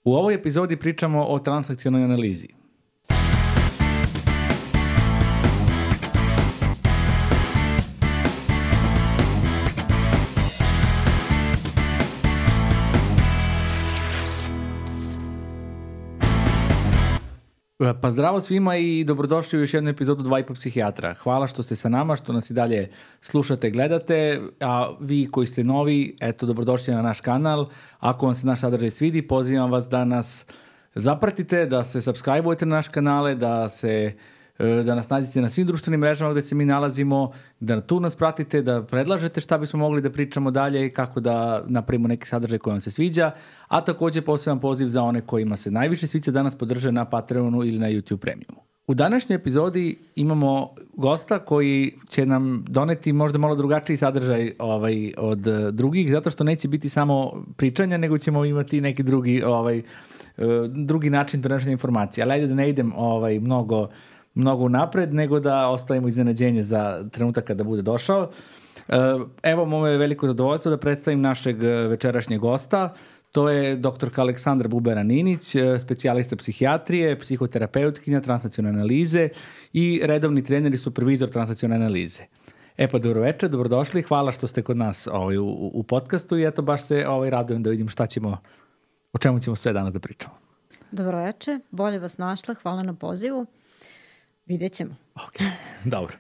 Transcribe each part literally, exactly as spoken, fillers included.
U ovoj epizodi pričamo o transakcionoj analizi. Pa zdravo svima i dobrodošli u još jednu epizodu Dva i po psihijatra. Hvala što ste sa nama, što nas i dalje slušate, gledate, a vi koji ste novi, eto, dobrodošli na naš kanal. Ako vam se naš sadržaj svidi, pozivam vas da nas zapratite, da se subscribe-ujete na naš kanale, da se da nas nađete na svim društvenim mrežama gde se mi nalazimo, da tu nas pratite, da predlažete šta bismo mogli da pričamo dalje i kako da napravimo neki sadržaj koji vam se sviđa, a takođe poseban poziv za one kojima se najviše sviđa da nas podrže na Patreonu ili na YouTube Premiumu. U današnjoj epizodi imamo gosta koji će nam doneti možda malo drugačiji sadržaj ovaj, od drugih, zato što neće biti samo pričanja, nego ćemo imati neki drugi, ovaj, drugi način prenošenja informacije. Ali ajde da ne idem ovaj, mnogo mnogo napred, nego da ostavimo iznenađenje za trenutak kada bude došao. Evo, moje je veliko zadovoljstvo da predstavim našeg večerašnjeg gosta. To je doktorka Aleksandra Bubera-Ninić, specijalista psihijatrije, psihoterapeutkinja transnacionalne analize i redovni trener i supervizor transnacionalne analize. E pa, dobroveče, dobrodošli, hvala što ste kod nas ovaj, u, u podcastu i eto baš se ovaj, radujem da vidim šta ćemo, o čemu ćemo sve danas da pričamo. Dobroveče, bolje vas našla, hvala na pozivu. Vidjet ćemo. Ok, dobro.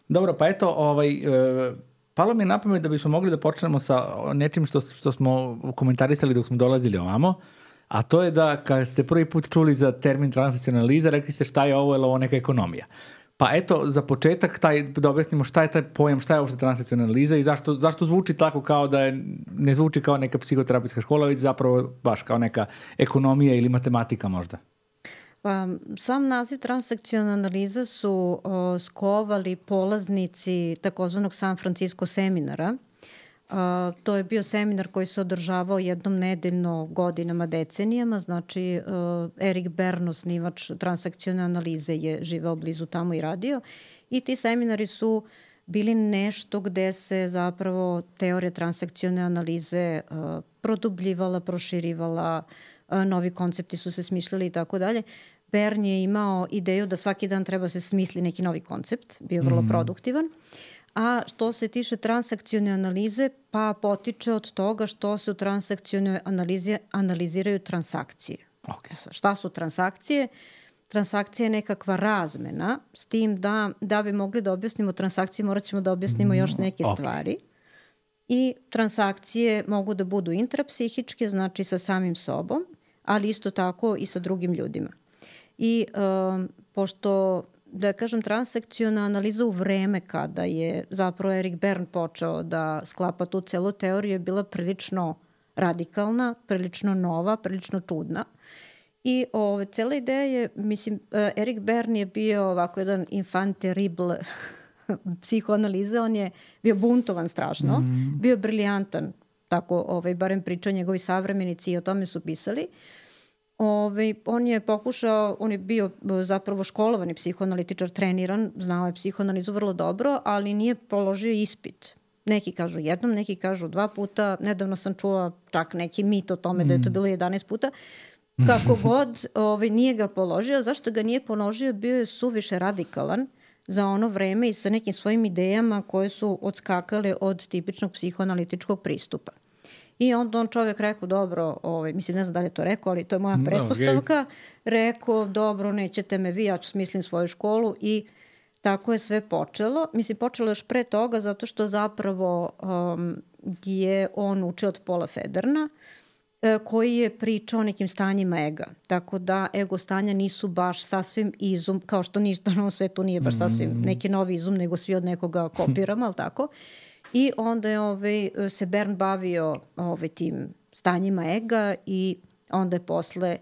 Dobro, pa eto, ovaj, e, palo mi je na pamet da bismo mogli da počnemo sa nečim što, što smo komentarisali dok smo dolazili ovamo, a to je da kad ste prvi put čuli za termin transnacionalna analiza, rekli ste šta je ovo, je li ovo neka ekonomija. Pa eto, za početak taj, da objasnimo šta je taj pojam, šta je uopšte transnacionalna analiza i zašto, zašto zvuči tako kao da je, ne zvuči kao neka psihoterapijska škola, već zapravo baš kao neka ekonomija ili matematika možda. Pa, sam naziv transakciona analiza su o, skovali polaznici takozvanog San Francisco seminara. A, to je bio seminar koji se održavao jednom nedeljno godinama, decenijama. Znači, o, Erik Bern, osnivač transakcione analize, je živeo blizu tamo i radio. I ti seminari su bili nešto gde se zapravo teorija transakcione analize o, produbljivala, proširivala, novi koncepti su se smišljali i tako dalje. Bern je imao ideju da svaki dan treba se smisli neki novi koncept, bio vrlo mm. produktivan. A što se tiče transakcione analize, pa potiče od toga što se u transakcionoj analizi analiziraju transakcije. Okay. Šta su transakcije? Transakcija je nekakva razmena, s tim da, da bi mogli da objasnimo transakcije, morat ćemo da objasnimo još neke okay. stvari. I transakcije mogu da budu intrapsihičke, znači sa samim sobom, ali isto tako i sa drugim ljudima. I um, pošto, da kažem, transakciona analiza u vreme kada je zapravo Erik Bern počeo da sklapa tu celu teoriju je bila prilično radikalna, prilično nova, prilično čudna. I ove, cela ideja je, mislim, Erik Bern je bio ovako jedan infant terrible psihoanaliza, on je bio buntovan strašno, mm. bio briljantan, tako ovaj, barem pričaju njegovi savremenici i o tome su pisali. Ove, on je pokušao, on je bio zapravo školovani psihoanalitičar, treniran, znao je psihoanalizu vrlo dobro, ali nije položio ispit. Neki kažu jednom, neki kažu dva puta, nedavno sam čula čak neki mit o tome mm. da je to bilo jedanaest puta. Kako god, ovaj, nije ga položio. Zašto ga nije položio? Bio je suviše radikalan za ono vreme i sa nekim svojim idejama koje su odskakale od tipičnog psihoanalitičkog pristupa. I onda on čovjek rekao, dobro, ovaj, mislim, ne znam da li je to rekao, ali to je moja pretpostavka, okay. rekao, dobro, nećete me vi, ja ću smislim svoju školu i tako je sve počelo. Mislim, počelo još pre toga zato što zapravo um, je on učio od Paula Federna, koji je pričao o nekim stanjima ega. Tako da ego stanja nisu baš sasvim izum, kao što ništa na svetu nije baš sasvim neki novi izum, nego svi od nekoga kopiramo, ali tako. I onda je ovaj, se Bern bavio ovaj, tim stanjima ega i onda je posle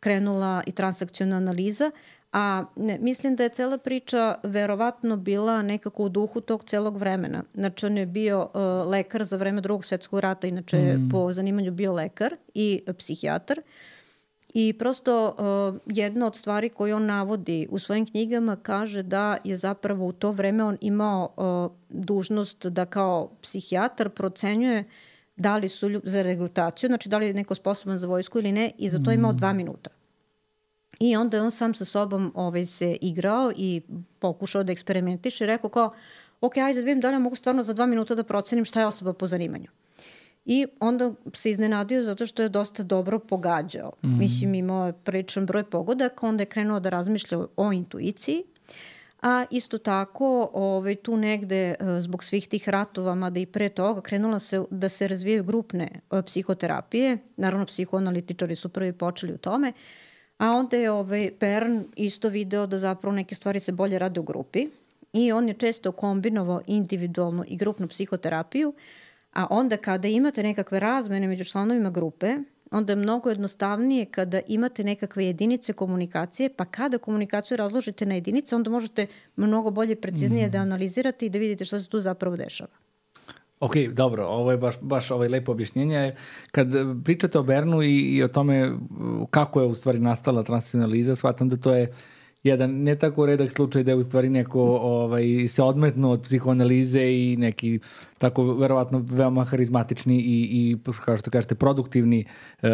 krenula i transakciona analiza. A ne, mislim da je cela priča verovatno bila nekako u duhu tog celog vremena. Znači, on je bio uh, lekar za vreme Drugog svetskog rata, inače mm. po zanimanju bio lekar i uh, psihijatar. I prosto uh, jedna od stvari koju on navodi u svojim knjigama kaže da je zapravo u to vreme on imao uh, dužnost da kao psihijatar procenjuje da li su lju- za regrutaciju, znači da li je neko sposoban za vojsku ili ne, i za to imao dva minuta. I onda je on sam sa sobom ovaj, se igrao i pokušao da eksperimentiše i rekao kao, ok, ajde da vidim da li ja mogu stvarno za dva minuta da procenim šta je osoba po zanimanju. I onda se iznenadio zato što je dosta dobro pogađao. Mm. Mislim, imao je priličan broj pogodaka, onda je krenuo da razmišlja o intuiciji, a isto tako ovaj, tu negde zbog svih tih ratova, mada i pre toga, krenula se da se razvijaju grupne psihoterapije. Naravno, psihoanalitičari su prvi počeli u tome, a onda je ovaj, Bern isto video da zapravo neke stvari se bolje rade u grupi i on je često kombinovao individualnu i grupnu psihoterapiju, a onda kada imate nekakve razmene među članovima grupe, onda je mnogo jednostavnije kada imate nekakve jedinice komunikacije, pa kada komunikaciju razložite na jedinice, onda možete mnogo bolje i preciznije mm. da analizirate i da vidite šta se tu zapravo dešava. Ok, dobro, ovo je baš, baš ovaj lepo objašnjenje. Kad pričate o Bernu i, i o tome kako je u stvari nastala transakcionalna analiza, shvatam da to je jedan ne tako redak slučaj da je u stvari neko ovaj, se odmetnuo od psihoanalize i neki tako verovatno veoma harizmatični i, i kao što kažete produktivni e,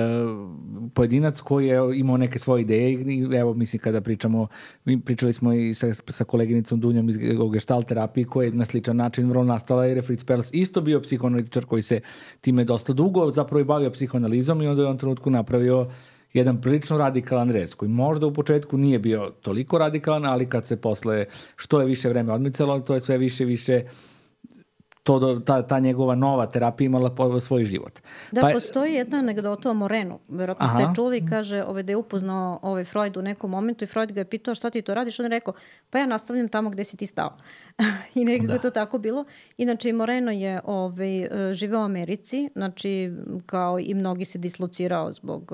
pojedinac koji je imao neke svoje ideje i evo mislim kada pričamo, mi pričali smo i sa, sa koleginicom Dunjom iz gestalt terapije koja je na sličan način vrlo nastala i Fritz Perls isto bio psihoanalitičar koji se time dosta dugo zapravo i bavio psihoanalizom i onda je u ovom trenutku napravio jedan prilično radikalan rez, koji možda u početku nije bio toliko radikalan, ali kad se posle što je više vreme odmicalo, to je sve više više to, ta, ta njegova nova terapija imala svoj život. Da, pa, postoji jedna anegdota o Morenu. Verovatno ste čuli, kaže ovaj, da je upoznao ovaj Freud u nekom momentu i Freud ga je pitao šta ti to radiš, on je rekao, pa ja nastavljam tamo gde si ti stao. I nekako da. to tako bilo. Inače, Moreno je ovaj, živeo u Americi, znači kao i mnogi se dislocirao zbog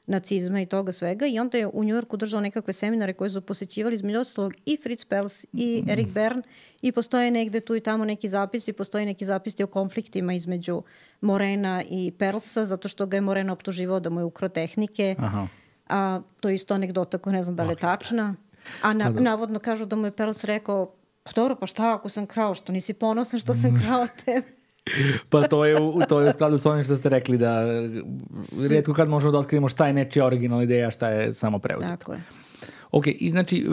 nacizma i toga svega i onda je u Njujorku držao nekakve seminare koje su posećivali između ostalog i Fritz Perls i Erik Bern i postoje negde tu i tamo neki zapisi, postoje neki zapisi o konfliktima između Morena i Perlsa, zato što ga je Moreno optuživao da mu je ukro tehnike. Aha. A to je isto anegdota koja ne znam da li je tačna. A na, navodno kažu da mu je Perls rekao, pa dobro, pa šta ako sam krao, što nisi ponosan što sam krao tebe? Pa to je, u, to je u skladu s ovim što ste rekli da rijetko kad možemo da otkrijemo šta je nečija originalna ideja, šta je samo preuzet. Tako je. Ok, i znači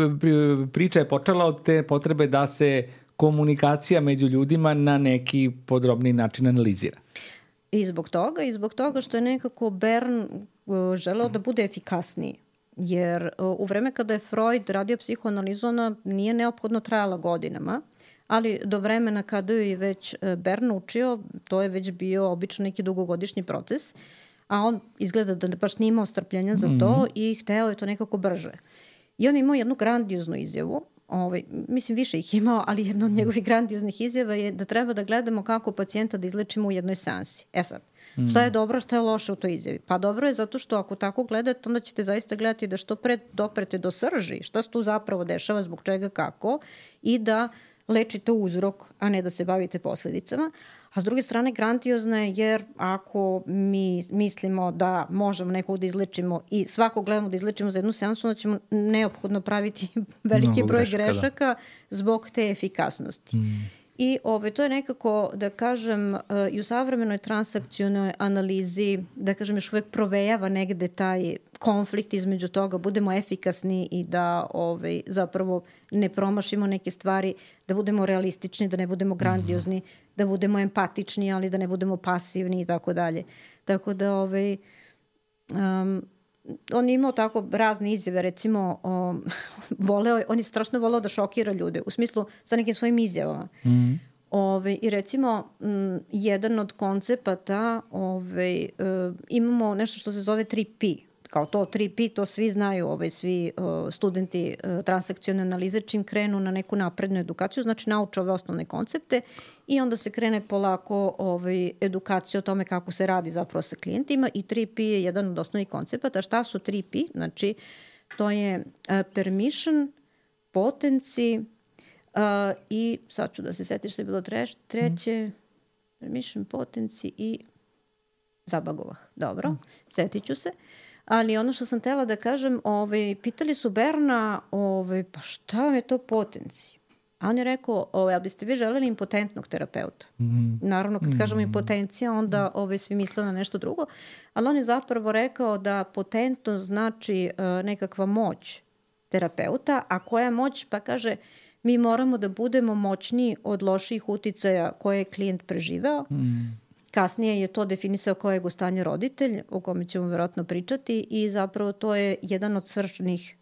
priča je počela od te potrebe da se komunikacija među ljudima na neki podrobni način analizira. I zbog toga, i zbog toga što je nekako Bern želeo da bude efikasniji. Jer u vreme kada je Freud radio psihoanalizu, ona nije neophodno trajala godinama, ali do vremena kada je već Bern učio, to je već bio obično neki dugogodišnji proces, a on izgleda da baš nije imao strpljenja za to mm-hmm. i hteo je to nekako brže. I on je imao jednu grandioznu izjavu, ovaj, mislim više ih imao, ali jedna od njegovih grandioznih izjava je da treba da gledamo kako pacijenta da izlečimo u jednoj seansi. E sad, mm. šta je dobro, šta je loše u toj izjavi? Pa dobro je zato što ako tako gledate, onda ćete zaista gledati da što pre doprete do srži, šta se tu zapravo dešava, zbog čega, kako, i da lečite uzrok, a ne da se bavite posledicama. A s druge strane, grandiozna je jer ako mi mislimo da možemo nekog da izlečimo i svakog gledamo da izlečimo za jednu seansu, onda ćemo neophodno praviti veliki broj grešaka, grešaka da. zbog te efikasnosti. Mm. I ove, to je nekako, da kažem, i u savremenoj transakcionoj analizi, da kažem, još uvek provejava negde taj konflikt između toga, budemo efikasni i da ove, zapravo ne promašimo neke stvari, da budemo realistični, da ne budemo grandiozni, mm-hmm. da budemo empatični, ali da ne budemo pasivni i tako dalje. Tako da, ove, um, on je imao tako razne izjave, recimo, o, voleo, on je strašno voleo da šokira ljude, u smislu sa nekim svojim izjavama. Mm-hmm. Ove, I recimo, m, jedan od koncepata, ove, e, imamo nešto što se zove tri P. Kao to tri P, to svi znaju, ove, svi o, studenti o, transakcione analize, čim krenu na neku naprednu edukaciju, znači nauče ove osnovne koncepte i onda se krene polako ovaj, edukacija o tome kako se radi zapravo sa klijentima i tri P je jedan od osnovnih koncepata. Šta su tri P? Znači, to je uh, permission, potenci uh, i sad ću da se setiš što je bilo treš, treće, mm. permission, potenci i zabagovah. Dobro, mm. setit ću se. Ali ono što sam htela da kažem, ovaj, pitali su Berna, ovaj, pa šta vam je to potenci? A on je rekao, ovaj, ali biste vi želeli impotentnog terapeuta? Mm. Naravno, kad mm. kažemo impotencija, onda ovaj, svi misle na nešto drugo. Ali on je zapravo rekao da potentno znači uh, nekakva moć terapeuta, a koja moć, pa kaže, mi moramo da budemo moćniji od loših uticaja koje je klijent preživeo. Mm. Kasnije je to definisao kao ego stanje roditelj, o kome ćemo vjerojatno pričati, i zapravo to je jedan od srčnih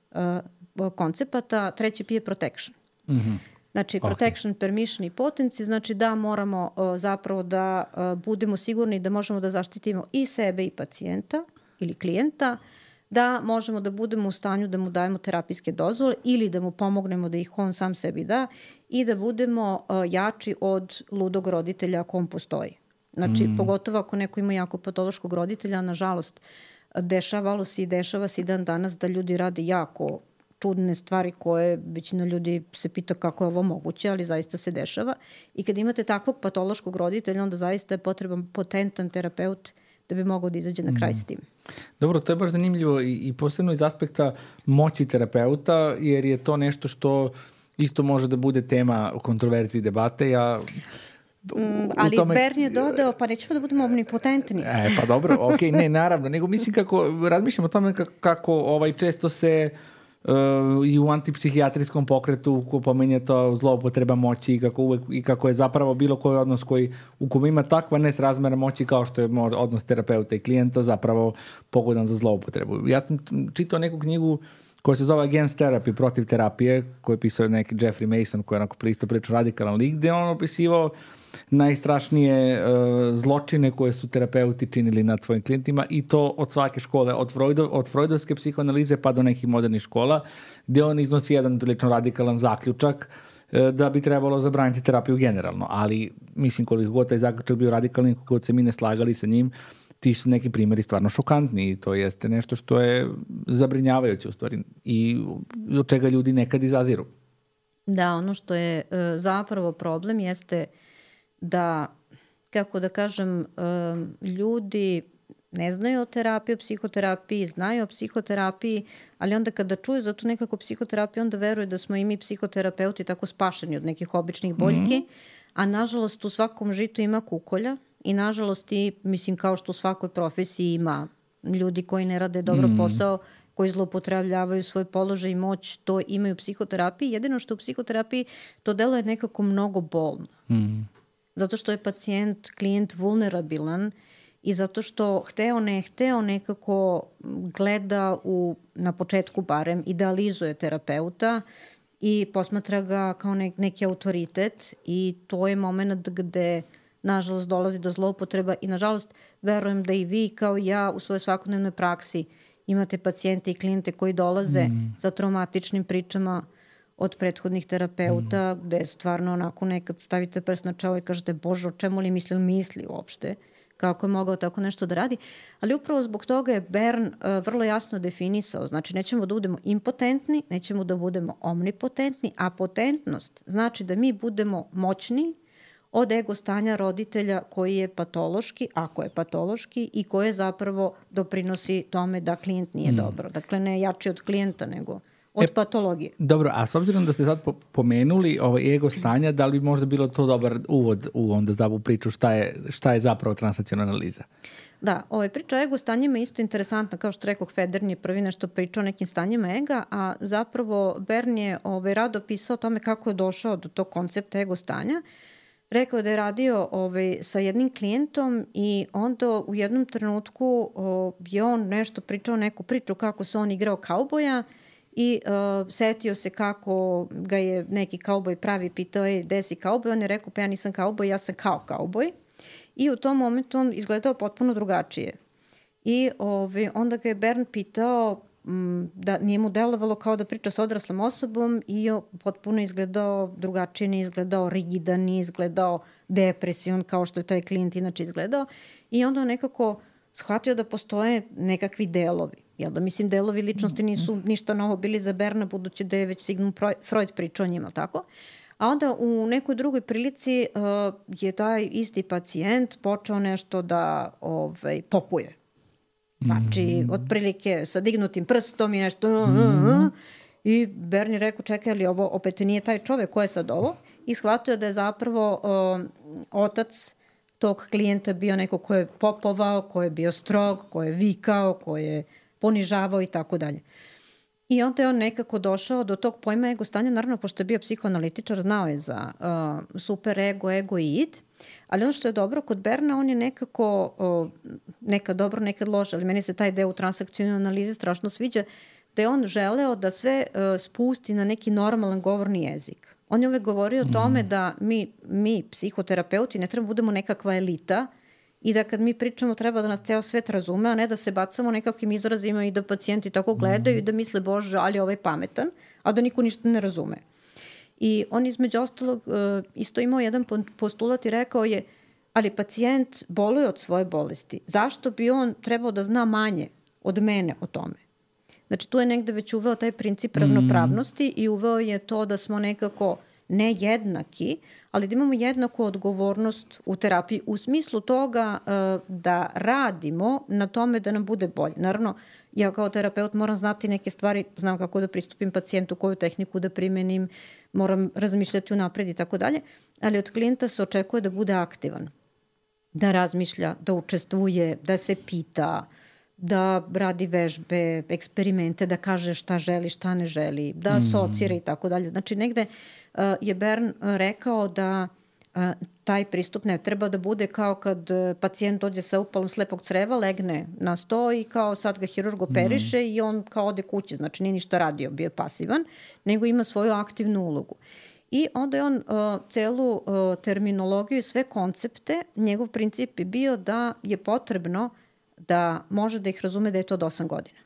uh, koncepata. Treći P je protection. Mm-hmm. Znači, protection, okay. permission i potency, znači da moramo uh, zapravo da uh, budemo sigurni da možemo da zaštitimo i sebe i pacijenta ili klijenta, da možemo da budemo u stanju da mu dajemo terapijske dozvole ili da mu pomognemo da ih on sam sebi da i da budemo uh, jači od ludog roditelja ako on postoji. Znači, mm. pogotovo ako neko ima jako patološkog roditelja, nažalost, dešavalo se i dešava se i dan danas da ljudi rade jako čudne stvari koje većina ljudi se pita kako je ovo moguće, ali zaista se dešava. I kad imate takvog patološkog roditelja, onda zaista je potreban potentan terapeut da bi mogao da izađe na kraj mm. s tim. Dobro, to je baš zanimljivo i, i posebno iz aspekta moći terapeuta, jer je to nešto što isto može da bude tema kontroverzije i debate. Ja... Mm, ali tome... Bern je dodao, pa nećemo da budemo omnipotentni. E, pa dobro, ok, ne, naravno, nego mislim kako, razmišljam o tome kako, kako ovaj, često se uh, i u antipsihijatrijskom pokretu ko pomenje to zloupotreba moći i kako, uvek, i kako je zapravo bilo koji odnos koji u kom ima takva nesrazmera moći kao što je odnos terapeuta i klijenta zapravo pogodan za zloupotrebu. Ja sam čitao neku knjigu koja se zove Against Therapy, protiv terapije, koju je pisao neki Jeffrey Mason, koji je onako pristo pričao radikalan lik, gde on opisivao najstrašnije uh, zločine koje su terapeuti činili nad svojim klijentima i to od svake škole, od, Freudov, od freudovske psihoanalize pa do nekih modernih škola, gde on iznosi jedan prilično radikalan zaključak uh, da bi trebalo zabraniti terapiju generalno. Ali, mislim, koliko god taj zaključak bio radikalan, koliko god se mi ne slagali sa njim, ti su neki primjeri stvarno šokantni i to jeste nešto što je zabrinjavajuće u stvari i od čega ljudi nekad izaziru. Da, ono što je uh, zapravo problem jeste da, kako da kažem, um, ljudi ne znaju o terapiji, o psihoterapiji, znaju o psihoterapiji, ali onda kada čuju za tu nekako psihoterapiju, onda veruju da smo i mi psihoterapeuti tako spašeni od nekih običnih boljki, mm-hmm. a nažalost u svakom žitu ima kukolja i nažalost i, mislim, kao što u svakoj profesiji ima ljudi koji ne rade dobro mm. posao, koji zloupotrebljavaju svoj položaj i moć, to imaju u psihoterapiji. Jedino što u psihoterapiji to deluje nekako mnogo bolno. Mm. Zato što je pacijent, klijent vulnerabilan i zato što hteo ne hteo nekako gleda u, na početku barem, idealizuje terapeuta i posmatra ga kao ne, neki autoritet i to je moment gde nažalost dolazi do zloupotreba i nažalost verujem da i vi kao i ja u svojoj svakodnevnoj praksi imate pacijente i klijente koji dolaze mm. sa traumatičnim pričama od prethodnih terapeuta mm. gde stvarno onako nekad stavite prst na čelo i kažete Bože, o čemu li misli, misli uopšte, kako je mogao tako nešto da radi. Ali upravo zbog toga je Bern uh, vrlo jasno definisao, znači nećemo da budemo impotentni, nećemo da budemo omnipotentni, a potentnost znači da mi budemo moćni od ego stanja roditelja koji je patološki, ako je patološki, i koje zapravo doprinosi tome da klijent nije mm. dobro. Dakle, ne jači od klijenta, nego od e, patologije. Dobro, a s obzirom da ste sad pomenuli ovaj ego stanja, da li bi možda bilo to dobar uvod u onda za ovu priču šta je, šta je zapravo transakcionalna analiza? Da, ovaj, priča o ego stanjima je isto interesantna, kao što rekao, Federn je prvi nešto pričao o nekim stanjima ega, a zapravo Bern je ovaj, rado pisao o tome kako je došao do tog koncepta ego stanja. Rekao je da je radio ovaj, sa jednim klijentom i onda u jednom trenutku o, je on nešto pričao, neku priču kako se on igrao kauboja i uh, setio se kako ga je neki kauboj pravi pitao je gde si kauboj, on je rekao pa ja nisam kauboj, ja sam kao kauboj i u tom momentu on izgledao potpuno drugačije. I ovaj, onda ga je Bern pitao da nije mu delovalo kao da priča sa odraslom osobom i je potpuno izgledao drugačije, nije izgledao rigidan, nije izgledao depresivan kao što je taj klijent inače izgledao i onda on nekako shvatio da postoje nekakvi delovi. Jel da, mislim, delovi ličnosti nisu ništa novo bili za Berna, budući da je već Sigmund Freud pričao o njima, tako? A onda u nekoj drugoj prilici uh, je taj isti pacijent počeo nešto da ovaj, popuje. Znači, mm. otprilike sa dignutim prstom i nešto uh, uh, uh, I Bernie rekao, čekaj, ali ovo opet nije taj čovek, ko je sad ovo? I shvatio da je zapravo uh, otac tog klijenta bio neko ko je popovao, ko je bio strog, ko je vikao, ko je ponižavao i tako dalje. I onda je on nekako došao do tog pojma ego stanja, naravno, pošto je bio psihoanalitičar, znao je za uh, super ego, ego i id, ali ono što je dobro kod Berna, on je nekako, uh, nekad dobro, nekad loše, ali meni se taj deo u transakcijnoj analizi strašno sviđa, da je on želeo da sve uh, spusti na neki normalan govorni jezik. On je uvek govorio o tome da mi, mi psihoterapeuti, ne treba budemo nekakva elita i da kad mi pričamo treba da nas ceo svet razume, a ne da se bacamo nekakvim izrazima i da pacijenti tako gledaju i da misle, bože, ali je ovaj pametan, a da niko ništa ne razume. I on između ostalog uh, isto imao jedan postulat i rekao je, ali pacijent boluje od svoje bolesti. Zašto bi on trebao da zna manje od mene o tome? Znači, tu je negde već uveo taj princip ravnopravnosti i uveo je to da smo nekako ne jednaki, ali da imamo jednaku odgovornost u terapiji u smislu toga uh, da radimo na tome da nam bude bolje. Naravno, ja kao terapeut moram znati neke stvari, znam kako da pristupim pacijentu, koju tehniku da primenim, moram razmišljati unapred i tako dalje, ali od klijenta se očekuje da bude aktivan, da razmišlja, da učestvuje, da se pita, da radi vežbe, eksperimente, da kaže šta želi, šta ne želi, da asocira i tako dalje. Znači, negde uh, je Bern rekao da uh, taj pristup ne treba da bude kao kad uh, pacijent dođe sa upalom slepog creva, legne na sto i kao sad ga hirurg operiše mm. i on kao ode kući, znači nije ništa radio, bio pasivan, nego ima svoju aktivnu ulogu. I onda je on uh, celu uh, terminologiju i sve koncepte, njegov princip je bio da je potrebno da može da ih razume da je to od osam godina.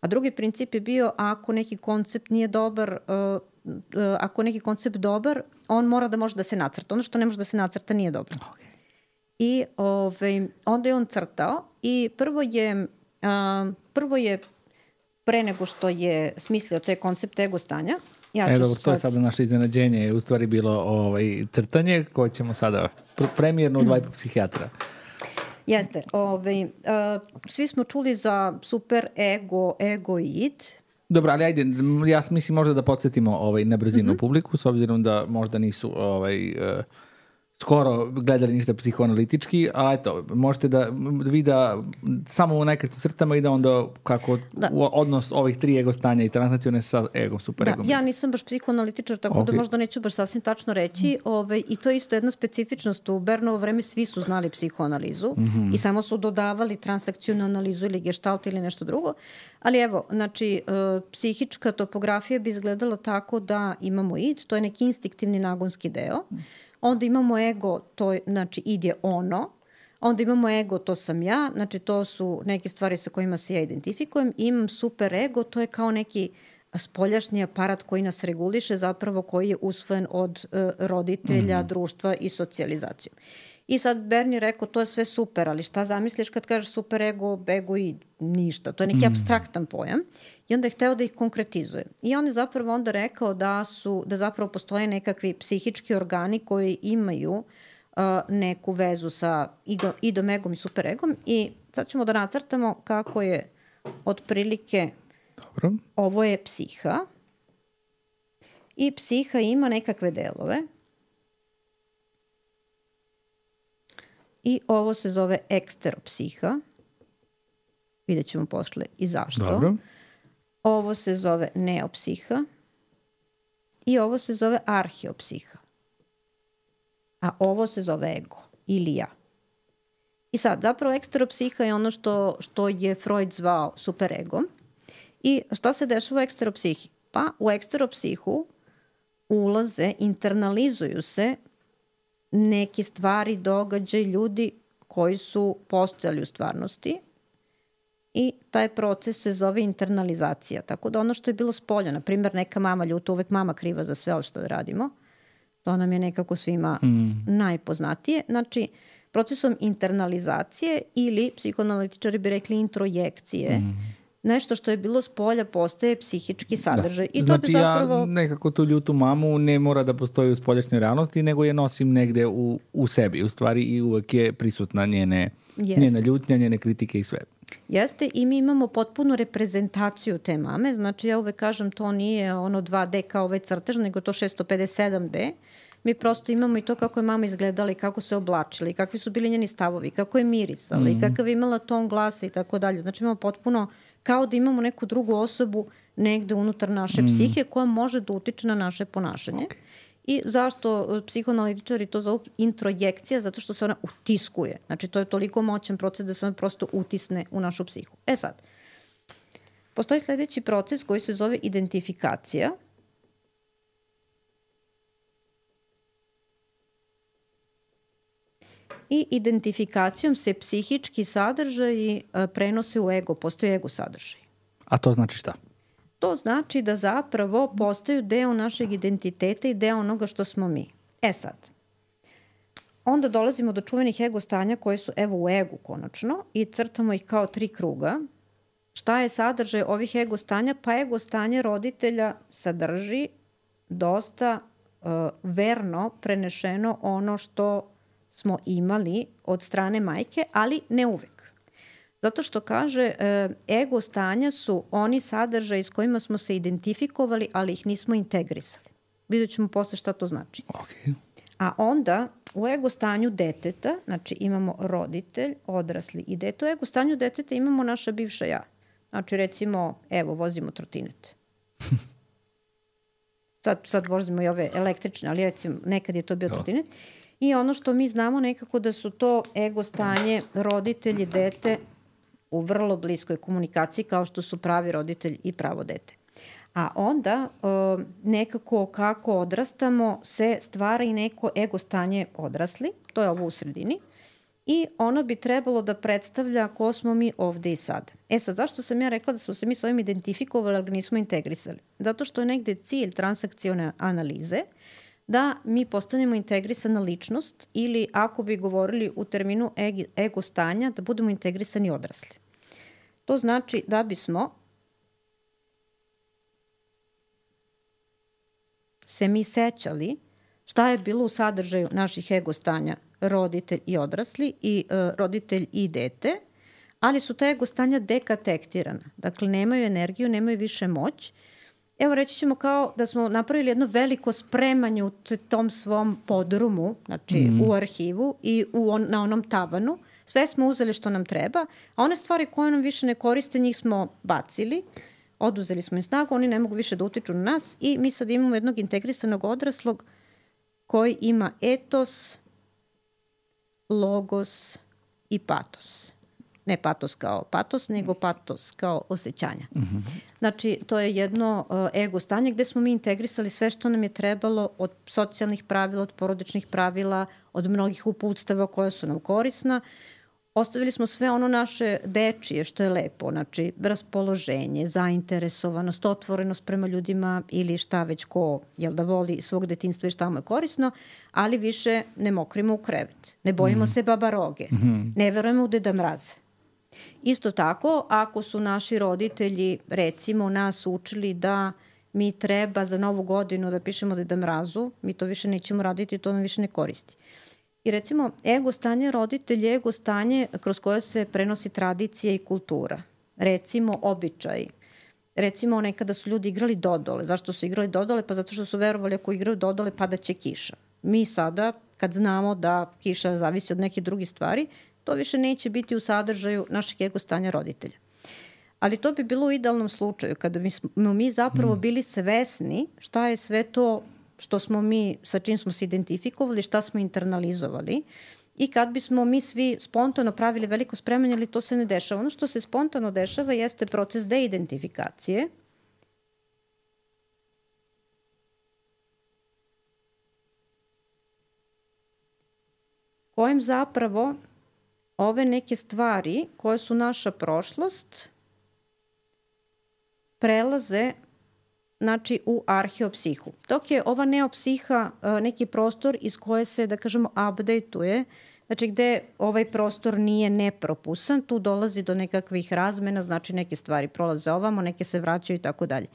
A drugi princip je bio ako neki koncept nije dobar, uh, uh, ako neki koncept dobar, on mora da može da se nacrta. Ono što ne može da se nacrta nije dobro. Okay. I ovaj, onda je on crtao i prvo je, uh, prvo je pre nego što je smislio te koncepte ego stanja. Ja e, dobro, to je sada naše iznenađenje. Je u stvari bilo ovaj, crtanje koje ćemo sada premijerno u dva i po psihijatra. Jeste. Ovaj, uh, svi smo čuli za super ego, ego i id. Dobro, ali ajde, ja mislim možda da podsjetimo ovaj, na brzinu mm-hmm. publiku, s obzirom da možda nisu ovaj, uh, skoro gledali ništa psihoanalitički, ali eto, možete da vi da samo u nekretnim crtama i da onda kako da. Odnos ovih tri ego stanja i transnacione sa egom, super egom. Da, ja nisam baš psihoanalitičar, tako okay. da možda neću baš sasvim tačno reći. Mm. Ove, I to je isto jedna specifičnost. U Bernovo vreme svi su znali psihoanalizu mm-hmm. i samo su dodavali transakcijnu analizu ili gestalt ili nešto drugo. Ali evo, znači, uh, psihička topografija bi izgledala tako da imamo id, to je neki instinktivni nagonski deo. Mm. Onda imamo ego, to je, znači id je ono, onda imamo ego, to sam ja, znači to su neke stvari sa kojima se ja identifikujem. Imam super ego, to je kao neki spoljašnji aparat koji nas reguliše, zapravo koji je usvojen od uh, roditelja, mm-hmm. društva i socijalizacijom. I sad Bernie rekao, to je sve super, ali šta zamisliš kad kažeš super ego, ego i ništa. To je neki mm. apstraktan pojam. I onda je hteo da ih konkretizuje. I on je zapravo onda rekao da su, da zapravo postoje nekakvi psihički organi koji imaju uh, neku vezu sa igo, idom, egom i super egom. I sad ćemo da nacrtamo kako je otprilike Dobro. Ovo je psiha. I psiha ima nekakve delove. I ovo se zove eksteropsiha. Vidjet ćemo posle i zašto. Dobro. Ovo se zove neopsiha. I ovo se zove arheopsiha. A ovo se zove ego ili ja. I sad, zapravo eksteropsiha je ono što, što je Freud zvao superegom. I šta se dešava u eksteropsihi? Pa u eksteropsihu ulaze, internalizuju se neke stvari, događaj, ljudi koji su postojali u stvarnosti i taj proces se zove internalizacija. Tako da ono što je bilo spolja, na primjer neka mama ljuta, uvek mama kriva za sve što radimo, to nam je nekako svima mm. najpoznatije. Znači, procesom internalizacije ili psihoanalitičari bi rekli introjekcije, mm. nešto što je bilo spolja postaje psihički sadržaj. Da. I to znači bi zapravo... ja nekako tu ljutu mamu ne mora da postoji u spoljašnjoj realnosti, nego je nosim negde u, u sebi. U stvari i uvek je prisutna njene, njena ljutnja, njene kritike i sve. Jeste, i mi imamo potpunu reprezentaciju te mame, znači ja uvek kažem to nije ono dva D kao ovaj crtež, nego to šesto pedeset sedam D. Mi prosto imamo i to kako je mama izgledala i kako se oblačila i kakvi su bili njeni stavovi, kako je mirisala mm-hmm. i kakav je imala ton glasa i tako dalje. Znači imamo potpuno kao da imamo neku drugu osobu negde unutar naše mm. psihe koja može da utiče na naše ponašanje. Okay. I zašto psihoanalitičari to zovu introjekcija? Zato što se ona utiskuje. Znači to je toliko moćan proces da se ona prosto utisne u našu psihu. E sad, postoji sledeći proces koji se zove identifikacija. I identifikacijom se psihički sadržaji prenose u ego, postoji ego sadržaj. A to znači šta? To znači da zapravo postaju deo našeg identiteta i deo onoga što smo mi. E sad, onda dolazimo do čuvenih ego stanja koje su evo u egu konačno i crtamo ih kao tri kruga. Šta je sadržaj ovih ego stanja? Pa ego stanje roditelja sadrži dosta uh, verno prenešeno ono što smo imali od strane majke, ali ne uvek. Zato što kaže, ego stanja su oni sadržaji s kojima smo se identifikovali, ali ih nismo integrisali. Vidjet ćemo posle šta to znači. Okay. A onda u ego stanju deteta, znači imamo roditelj, odrasli i dete. U ego stanju deteta imamo naša bivša ja. Znači recimo, evo, vozimo trotinet. Sad, sad vozimo i ove električne, ali recimo nekad je to bio trotinet. I ono što mi znamo nekako da su to ego stanje roditelji, dete u vrlo bliskoj komunikaciji kao što su pravi roditelj i pravo dete. A onda nekako kako odrastamo se stvara i neko ego stanje odrasli, to je ovo u sredini, i ono bi trebalo da predstavlja ko smo mi ovde i sada. E sad, zašto sam ja rekla da smo se mi s ovim identifikovali, ali ga nismo integrisali? Zato što je negde cilj transakcione analize da mi postanemo integrisana ličnost ili ako bi govorili u terminu ego stanja, da budemo integrisani odrasli. To znači da bismo se mi sećali šta je bilo u sadržaju naših ego stanja roditelj i odrasli i uh, roditelj i dete, ali su ta ego stanja dekatektirana. Dakle, nemaju energiju, nemaju više moć. Evo reći ćemo kao da smo napravili jedno veliko spremanje u tom svom podrumu, znači mm. u arhivu i u on, na onom tavanu. Sve smo uzeli što nam treba, a one stvari koje nam više ne koriste, njih smo bacili, oduzeli smo im snagu, oni ne mogu više da utiču na nas i mi sad imamo jednog integrisanog odraslog koji ima etos, logos i patos. Ne patos kao patos, nego patos kao osjećanja. Mm-hmm. Znači, to je jedno uh, ego stanje gde smo mi integrisali sve što nam je trebalo od socijalnih pravila, od porodičnih pravila, od mnogih uputstava koja su nam korisna. Ostavili smo sve ono naše dečije što je lepo, znači raspoloženje, zainteresovanost, otvorenost prema ljudima ili šta već ko jel da voli svog detinjstva i šta mu je korisno, ali više ne mokrimo u krevet, ne bojimo mm. se babaroge, mm-hmm. ne verujemo u Deda Mraza. Isto tako, ako su naši roditelji, recimo, nas učili da mi treba za novu godinu da pišemo Deda Mrazu, mi to više nećemo raditi, to nam više ne koristi. I recimo, ego stanje roditelja je ego stanje kroz koje se prenosi tradicija i kultura. Recimo, običaji. Recimo, nekada su ljudi igrali dodole. Zašto su igrali dodole? Pa zato što su verovali ako igraju dodole padaće kiša. Mi sada, kad znamo da kiša zavisi od nekih drugih stvari, to više neće biti u sadržaju našeg ego stanja roditelja. Ali to bi bilo u idealnom slučaju, kada bismo mi zapravo bili svesni šta je sve to što smo mi, sa čim smo se identifikovali, šta smo internalizovali i kad bismo mi svi spontano pravili veliko spremanje, ali to se ne dešava. Ono što se spontano dešava jeste proces deidentifikacije, kojim zapravo ove neke stvari koje su naša prošlost prelaze znači u arheopsihu. Dok je ova neopsiha neki prostor iz koje se, da kažemo, update-uje, znači gde ovaj prostor nije nepropusan, tu dolazi do nekakvih razmena, znači neke stvari prolaze ovamo, neke se vraćaju i tako dalje.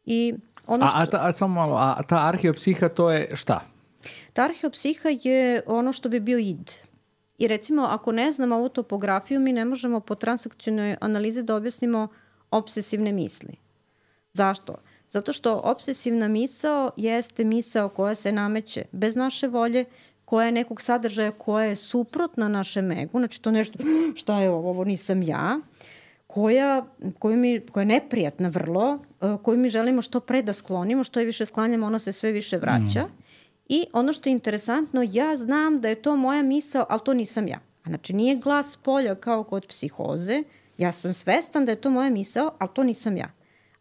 I ono što... A, a, ta, a samo malo, a ta arheopsiha to je šta? Ta arheopsiha je ono što bi bio id. I recimo, ako ne znamo ovu topografiju, mi ne možemo po transakcionoj analizi da objasnimo obsesivne misli. Zašto? Zato što obsesivna misao jeste misao koja se nameće bez naše volje, koja je nekog sadržaja koja je suprotna našem egu, znači to nešto, šta je ovo, ovo nisam ja, koja, koju mi, koja je neprijatna vrlo, koju mi želimo što pre da sklonimo, što je više sklanjamo, ona se sve više vraća. Mm. I ono što je interesantno, ja znam da je to moja misao, ali to nisam ja. Znači nije glas polja kao kod psihoze, ja sam svestan da je to moja misao, ali to nisam ja.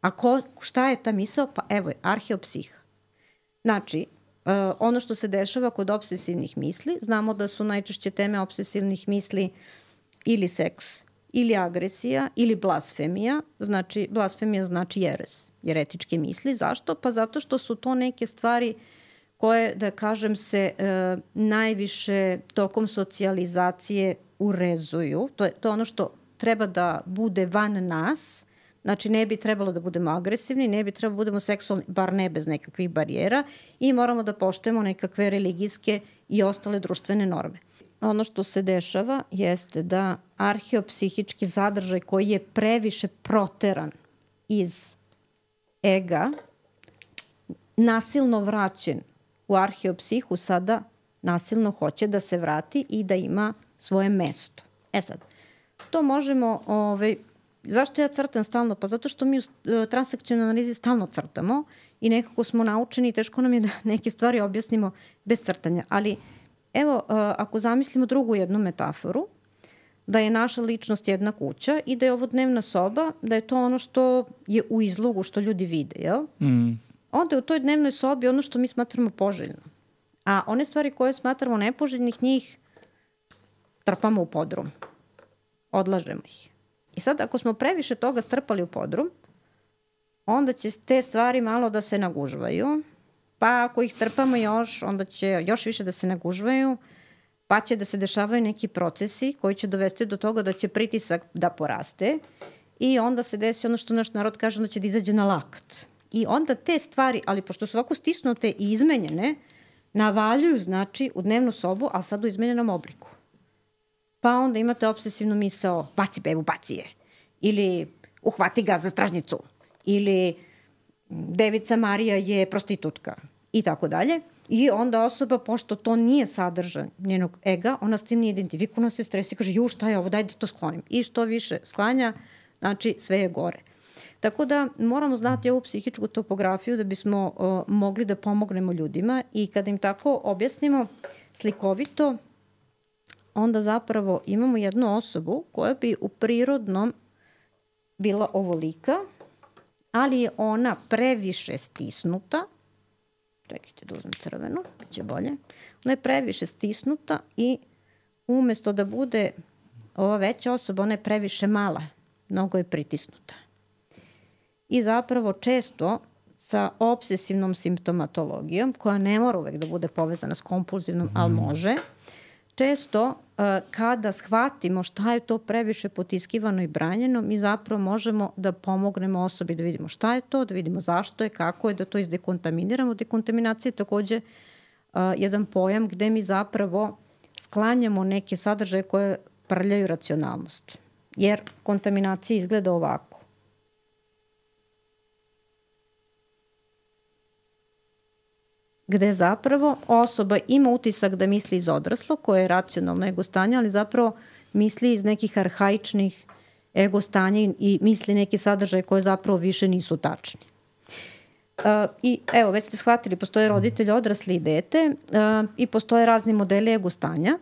A ko, šta je ta misao? Pa evo je, arheopsiha. Znači, uh, ono što se dešava kod obsesivnih misli, znamo da su najčešće teme obsesivnih misli ili seks, ili agresija, ili blasfemija. Znači, blasfemija znači jeres, jeretičke misli. Zašto? Pa zato što su to neke stvari koje, da kažem se, uh, najviše tokom socijalizacije urezuju. To je, to je ono što treba da bude van nas. Znači, ne bi trebalo da budemo agresivni, ne bi trebalo da budemo seksualni, bar ne bez nekakvih barijera i moramo da poštujemo nekakve religijske i ostale društvene norme. Ono što se dešava jeste da arheopsihički zadržaj koji je previše proteran iz ega, nasilno vraćen u arheopsihu, sada nasilno hoće da se vrati i da ima svoje mesto. E sad, to možemo... Ovaj, zašto ja crtam stalno? Pa zato što mi u transakcionalnoj analizi stalno crtamo i nekako smo naučeni i teško nam je da neke stvari objasnimo bez crtanja. Ali evo, ako zamislimo drugu jednu metaforu, da je naša ličnost jedna kuća i da je ovo dnevna soba, da je to ono što je u izlogu, što ljudi vide, jel? Mm. Onda je u toj dnevnoj sobi ono što mi smatramo poželjno. A one stvari koje smatramo nepoželjnih, njih trpamo u podrum. Odlažemo ih. I sad, ako smo previše toga strpali u podrum, onda će te stvari malo da se nagužvaju, pa ako ih trpamo još, onda će još više da se nagužvaju, pa će da se dešavaju neki procesi koji će dovesti do toga da će pritisak da poraste i onda se desi ono što naš narod kaže, onda će da izađe na lakt. I onda te stvari, ali pošto su ovako stisnute i izmenjene, navaljuju, znači, u dnevnu sobu, ali sad u izmenjenom obliku. Pa onda imate obsesivnu misao, baci bebu, baci je. Ili uhvati ga za stražnicu. Ili devica Marija je prostitutka. I tako dalje. I onda osoba, pošto to nije sadržan njenog ega, ona s tim nije identifikuna, se stresi i kaže, ju, šta je ovo, daj da to sklonim. I što više sklanja, znači sve je gore. Tako da moramo znati ovu psihičku topografiju da bismo uh, mogli da pomognemo ljudima i kada im tako objasnimo slikovito, onda zapravo imamo jednu osobu koja bi u prirodnom bila ovolika, ali je ona previše stisnuta. Čekajte da uzmem crvenu, bit će bolje. Ona je previše stisnuta i umesto da bude ova veća osoba, ona je previše mala, mnogo je pritisnuta. I zapravo često sa obsesivnom simptomatologijom, koja ne mora uvek da bude povezana s kompulzivnom, ali može, često uh, kada shvatimo šta je to previše potiskivano i branjeno, mi zapravo možemo da pomognemo osobi da vidimo šta je to, da vidimo zašto je, kako je, da to izdekontaminiramo. Dekontaminacija je takođe uh, jedan pojam gde mi zapravo sklanjamo neke sadržaje koje prljaju racionalnost. Jer kontaminacija izgleda ovako. Gde zapravo osoba ima utisak da misli iz odraslog, koje je racionalno ego stanje, ali zapravo misli iz nekih arhaičnih ego stanja i misli neke sadržaje koje zapravo više nisu tačni. Uh, I evo, već ste shvatili, postoje roditelj, odrasli i dete uh, i postoje razni modeli ego stanja.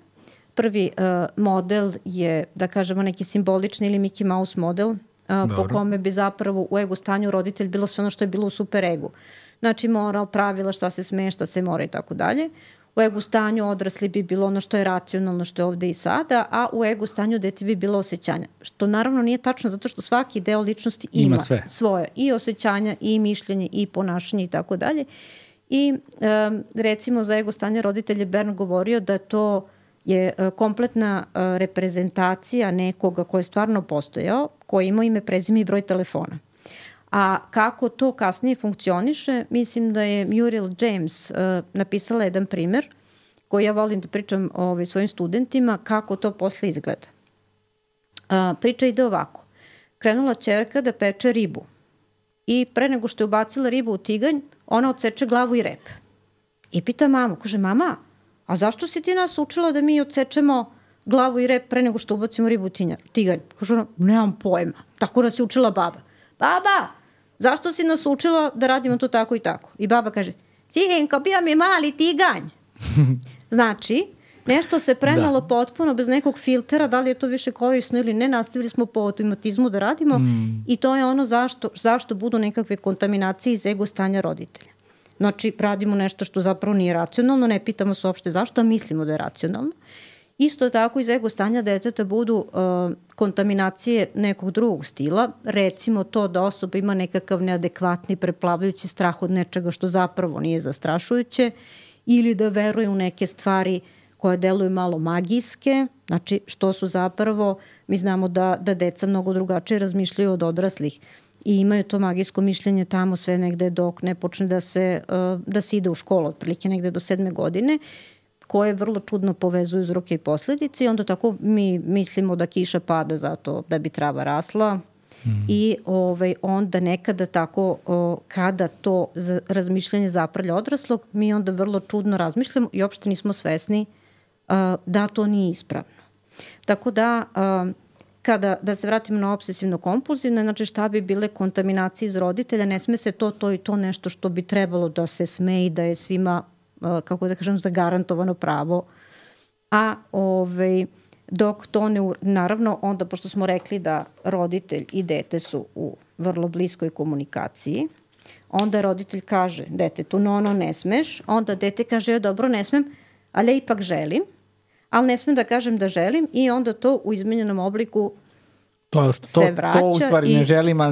Prvi uh, model je, da kažemo, neki simbolični ili Mickey Mouse model, uh, po kome bi zapravo u ego stanju roditelj bilo sve ono što je bilo u super egu. Znači moral, pravila, šta se sme, šta se mora i tako dalje. U ego stanju odrasli bi bilo ono što je racionalno, što je ovde i sada, a u ego stanju dete bi bilo osjećanja. Što naravno nije tačno zato što svaki deo ličnosti ima, ima svoje. I osjećanja, i mišljenje, i ponašanje i tako dalje. I um, recimo za ego stanje roditelje Bern govorio da to je uh, kompletna uh, reprezentacija nekoga ko je stvarno postojao, koji ima ime, prezime i broj telefona. A kako to kasnije funkcioniše, mislim da je Muriel James uh, napisala jedan primer koji ja volim da pričam ovaj, svojim studentima, kako to posle izgleda. A, priča ide ovako. Krenula ćerka da peče ribu i pre nego što je ubacila ribu u tiganj, ona odseče glavu i rep. I pita mamu, kaže, mama, a zašto si ti nas učila da mi odsečemo glavu i rep pre nego što ubacimo ribu u tiganj? Kaže ona, nemam pojma. Tako nas je učila baba. Baba, zašto si nas učila da radimo to tako i tako? I baba kaže, sinko, bio mi mali tiganj. Znači, nešto se prenalo da. potpuno bez nekog filtera, da li je to više korisno ili ne, nastavili smo po automatizmu da radimo mm. i to je ono zašto, zašto budu nekakve kontaminacije iz ego stanja roditelja. Znači, radimo nešto što zapravo nije racionalno, ne pitamo se uopšte zašto, a mislimo da je racionalno. Isto tako iz ego stanja deteta budu uh, kontaminacije nekog drugog stila, recimo to da osoba ima nekakav neadekvatni, preplavajući strah od nečega što zapravo nije zastrašujuće ili da veruje u neke stvari koje deluju malo magijske, znači što su zapravo, mi znamo da, da deca mnogo drugačije razmišljaju od odraslih i imaju to magijsko mišljenje tamo sve negde dok ne počne da se, uh, da se ide u školu, otprilike negde do sedme godine, koje vrlo čudno povezuju uzroke i posledice i onda tako mi mislimo da kiša pada zato da bi trava rasla mm. i ovaj, onda nekada tako o, kada to za, razmišljanje zaprlja odraslog, mi onda vrlo čudno razmišljamo i uopšte nismo svesni a, da to nije ispravno. Tako da a, kada, da se vratimo na obsesivno-kompulzivne, znači šta bi bile kontaminacije iz roditelja, ne sme se to, to i to nešto što bi trebalo da se sme i da je svima kako da kažem, zagarantovano pravo. A ovaj, dok to ne, naravno, onda pošto smo rekli da roditelj i dete su u vrlo bliskoj komunikaciji, onda roditelj kaže detetu, no, no, ne smeš, onda dete kaže, dobro, ne smem, ali ja ipak želim, ali ne smem da kažem da želim i onda to u izmenjenom obliku To, to, se vraća. To u stvari i, ne želimo,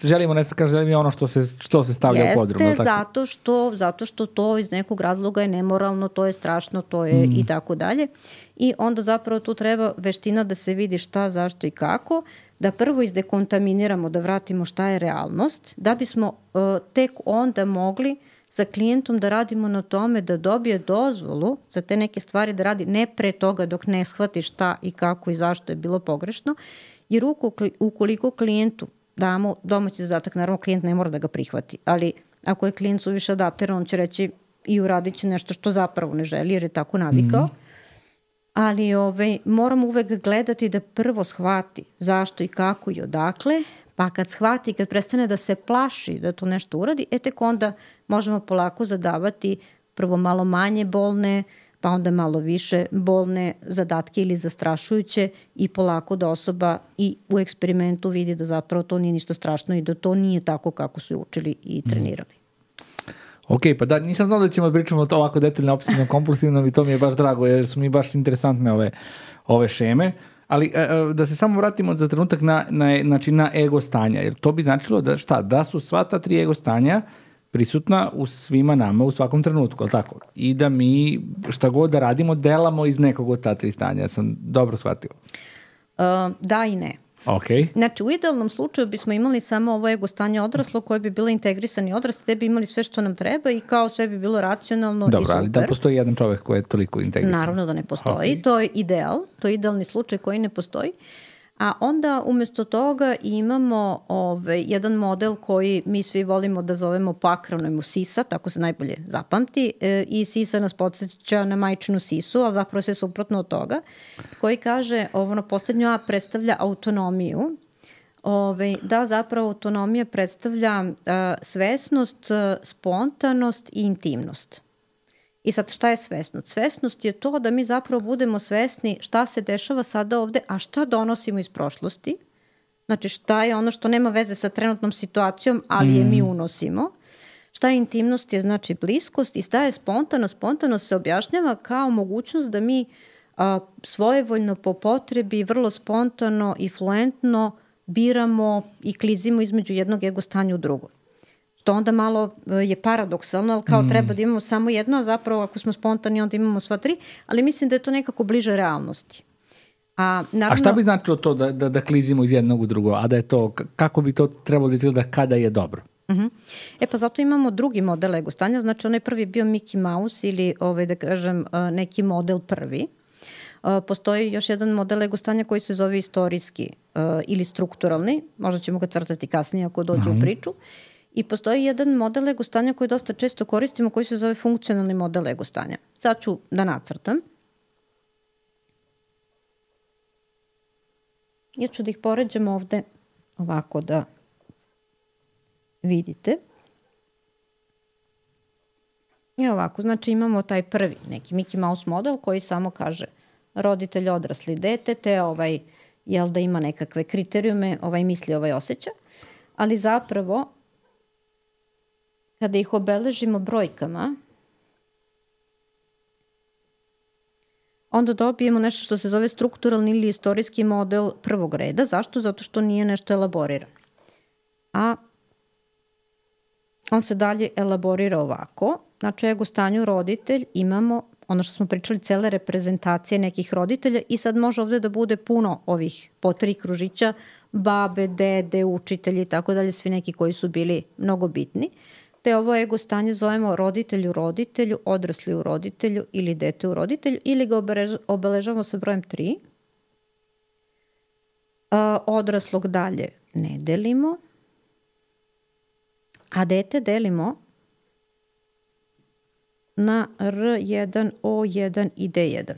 želimo ne kaže želim je ono što se, što se stavlja jeste, u podrum. Jeste, zato što, zato što to iz nekog razloga je nemoralno, to je strašno, to je mm. i tako dalje. I onda zapravo tu treba veština da se vidi šta, zašto i kako, da prvo izdekontaminiramo, da vratimo šta je realnost, da bismo uh, tek onda mogli sa klijentom da radimo na tome da dobije dozvolu za te neke stvari da radi ne pre toga dok ne shvati šta i kako i zašto je bilo pogrešno. Jer ukoliko klijentu damo domaći zadatak, naravno klijent ne mora da ga prihvati, ali ako je klijent suviše adaptiran, on će reći i uradit će nešto što zapravo ne želi jer je tako navikao. Mm. Ali ovaj, moramo uvek gledati da prvo shvati zašto i kako i odakle, pa kad shvati, kad prestane da se plaši da to nešto uradi, e tek onda možemo polako zadavati prvo malo manje bolne, pa onda malo više bolne zadatke ili zastrašujuće i polako da osoba i u eksperimentu vidi da zapravo to nije ništa strašno i da to nije tako kako su učili i trenirali. Mm. Ok, pa da, nisam znao da ćemo pričamo o to ovako detaljno, obsesivno, kompulsivno i to mi je baš drago jer su mi baš interesantne ove, ove šeme. Ali da se samo vratimo za trenutak na, na, znači na ego stanja, jer to bi značilo da šta, da su sva ta tri ego stanja prisutna u svima nama u svakom trenutku, ali tako? I da mi šta god da radimo, delamo iz nekog od ta tri stanja. Ja sam dobro shvatio. Uh, da i ne. Okay. Znači, u idealnom slučaju bismo imali samo ovo ego stanje odraslo koje bi bilo integrisani odrasli, te bi imali sve što nam treba i kao sve bi bilo racionalno dobro, i super. Dobro, ali da postoji jedan čovek koji je toliko integrisan. Naravno da ne postoji. Okay. To je ideal, to je idealni slučaj koji ne postoji. A onda umesto toga imamo ovaj, jedan model koji mi svi volimo da zovemo po akronojmu sisa, tako se najbolje zapamti, e, i sisa nas podsjeća na majčinu sisu, ali zapravo sve suprotno od toga, koji kaže, ovo na poslednju A predstavlja autonomiju, ovaj, da zapravo autonomija predstavlja uh, svesnost, uh, spontanost i intimnost. I sad šta je svesnost? Svesnost je to da mi zapravo budemo svesni šta se dešava sada ovde, a šta donosimo iz prošlosti. Znači šta je ono što nema veze sa trenutnom situacijom, ali mm. je mi unosimo. Šta je intimnost je znači bliskost i šta je spontano. Spontano se objašnjava kao mogućnost da mi a, svojevoljno po potrebi, vrlo spontano i fluentno biramo i klizimo između jednog ego stanja u drugo. To onda malo je paradoksalno, ali kao mm. treba da imamo samo jedno, a zapravo ako smo spontani onda imamo sva tri, ali mislim da je to nekako bliže realnosti. A, naravno, a šta bi značilo to da, da, da klizimo iz jednog u drugo, a da je to, kako bi to trebalo da izgleda kada je dobro? Uh-huh. E pa zato imamo drugi model ego stanja, znači onaj prvi je bio Mickey Mouse ili ovaj, da kažem neki model prvi. Postoji još jedan model ego stanja koji se zove istorijski uh, ili strukturalni, možda ćemo ga crtati kasnije ako dođe uh-huh. u priču. I postoji jedan model ego stanja koji dosta često koristimo koji se zove funkcionalni model ego stanja. Sad ću da nacrtam. Ja ću da ih poređam ovde ovako da vidite. I ovako, znači imamo taj prvi neki Mickey Mouse model koji samo kaže roditelj, odrasli, dete, te ovaj, jel da ima nekakve kriterijume, ovaj misli, ovaj osjeća, ali zapravo kada ih obeležimo brojkama, onda dobijemo nešto što se zove strukturalni ili istorijski model prvog reda. Zašto? Zato što nije nešto elaboriran. A on se dalje elaborira ovako. Znači, ego stanju roditelj imamo ono što smo pričali, cele reprezentacije nekih roditelja i sad može ovde da bude puno ovih po tri kružića, babe, dede, učitelji i tako dalje, svi neki koji su bili mnogo bitni. Te ovo ego stanje zovemo roditelj u roditelju, odrasli u roditelju ili dete u roditelju ili ga obeležavamo sa brojem tri. A, odraslog dalje ne delimo, a dete delimo na R jedan, O jedan i D jedan.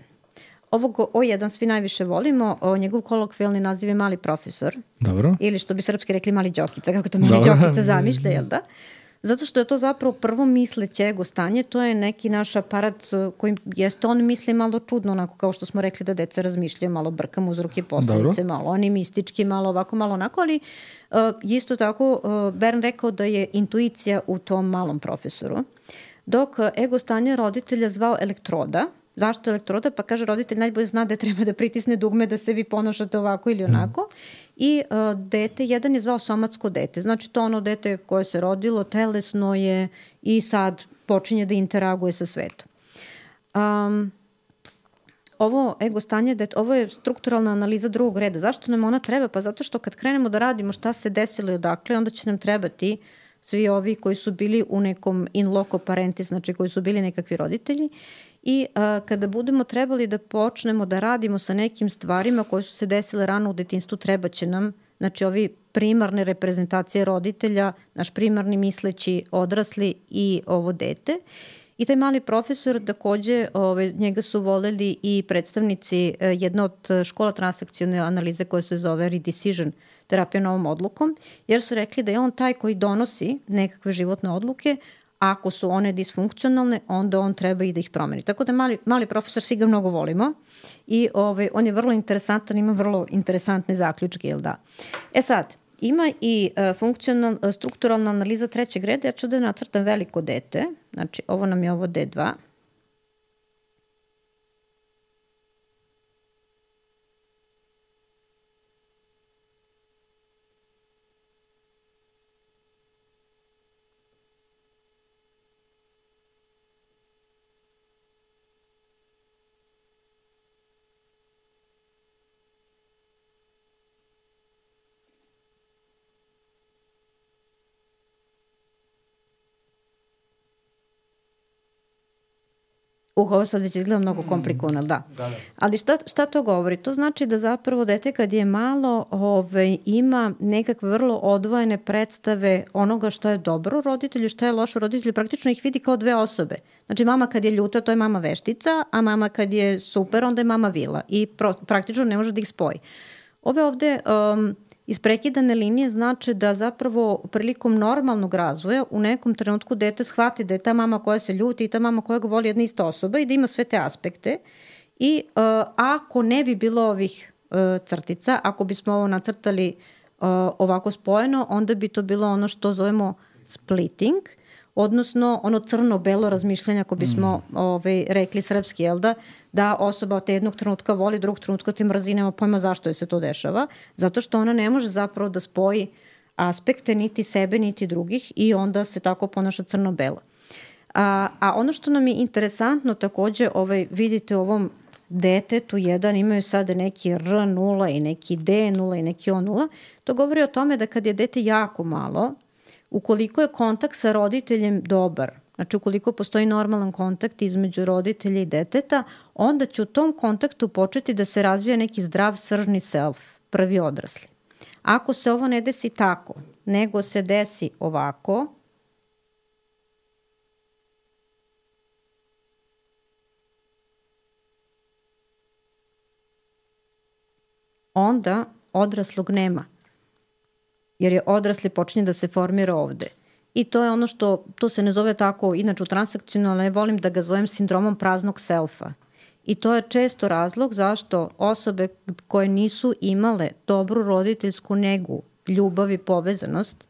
Ovog O jedan svi najviše volimo, o, njegov kolokvijalni naziv je mali profesor. Dobro. Ili što bi srpski rekli mali Đokica, kako to mali Dobro. Đokica zamišlja, jel da? Zato što je to zapravo prvo misleće ego stanje, to je neki naš aparat kojim jeste on misli malo čudno, onako kao što smo rekli da deca razmišljaju, malo brkam uzroke posledice, malo animistički, malo ovako, malo onako, ali uh, isto tako uh, Bern rekao da je intuicija u tom malom profesoru. Dok ego stanje roditelja zvao elektroda. Zašto elektroda? Pa kaže roditelj najbolje zna da treba da pritisne dugme da se vi ponašate ovako ili onako. Mm. I uh, dete, jedan je zvao somatsko dete. Znači to ono dete koje se rodilo, telesno je i sad počinje da interaguje sa svetom. Um, ovo ego stanje, ovo je strukturalna analiza drugog reda. Zašto nam ona treba? Pa zato što kad krenemo da radimo šta se desilo i odakle, onda će nam trebati svi ovi koji su bili u nekom in loco parentis, znači koji su bili nekakvi roditelji. I a, kada budemo trebali da počnemo da radimo sa nekim stvarima koje su se desile rano u detinjstvu, treba će nam, znači ovi primarne reprezentacije roditelja, naš primarni misleći odrasli i ovo dete. I taj mali profesor takođe, ove, njega su voleli i predstavnici e, jedne od škola transakcione analize koja se zove Redecision, terapija novom odlukom, jer su rekli da je on taj koji donosi nekakve životne odluke. Ako su one disfunkcionalne, onda on treba i da ih promeni. Tako da mali, mali profesor, svi ga mnogo volimo i ovaj, on je vrlo interesantan, ima vrlo interesantne zaključke, jel da? E sad, ima i uh, funkcional, strukturalna analiza trećeg reda, ja ću da nacrtam veliko dete, znači ovo nam je ovo D dva. Uh, ovo sad već izgleda mnogo komplikovano, da. da, da. Ali šta, šta to govori? To znači da zapravo dete kad je malo ovaj, ima nekakve vrlo odvojene predstave onoga što je dobro u roditelju, što je loše u roditelju, praktično ih vidi kao dve osobe. Znači mama kad je ljuta, to je mama veštica, a mama kad je super, onda je mama vila. I pro, praktično ne može da ih spoji. Ove ovde um, isprekidane linije znači da zapravo prilikom normalnog razvoja u nekom trenutku dete shvati da je ta mama koja se ljuti i ta mama koja ga voli jedna ista osoba i da ima sve te aspekte. I uh, ako ne bi bilo ovih uh, crtica, ako bismo ovo nacrtali uh, ovako spojeno, onda bi to bilo ono što zovemo splitting, odnosno ono crno-belo razmišljanje, ako bismo mm. ovaj, rekli srpski, jel da, da osoba te jednog trenutka voli, drugog trenutka te mrzi, nema pojma zašto je se to dešava, zato što ona ne može zapravo da spoji aspekte niti sebe, niti drugih i onda se tako ponaša crno-belo. A, a ono što nam je interesantno takođe, ovaj, vidite u ovom detetu jedan imaju sada neki R nula i neki D nula i neki O nula, to govori o tome da kad je dete jako malo, Ukoliko je kontakt sa roditeljem dobar, znači ukoliko postoji normalan kontakt između roditelja i deteta, onda će u tom kontaktu početi da se razvija neki zdrav sržni self, prvi odrasli. Ako se ovo ne desi tako, nego se desi ovako, onda odraslog nema. Jer je odrasli počinje da se formira ovde. I to je ono što, to se ne zove tako, inače u transakcionalno, ne volim da ga zovem sindromom praznog selfa. I to je često razlog zašto osobe koje nisu imale dobru roditeljsku negu, ljubav i povezanost,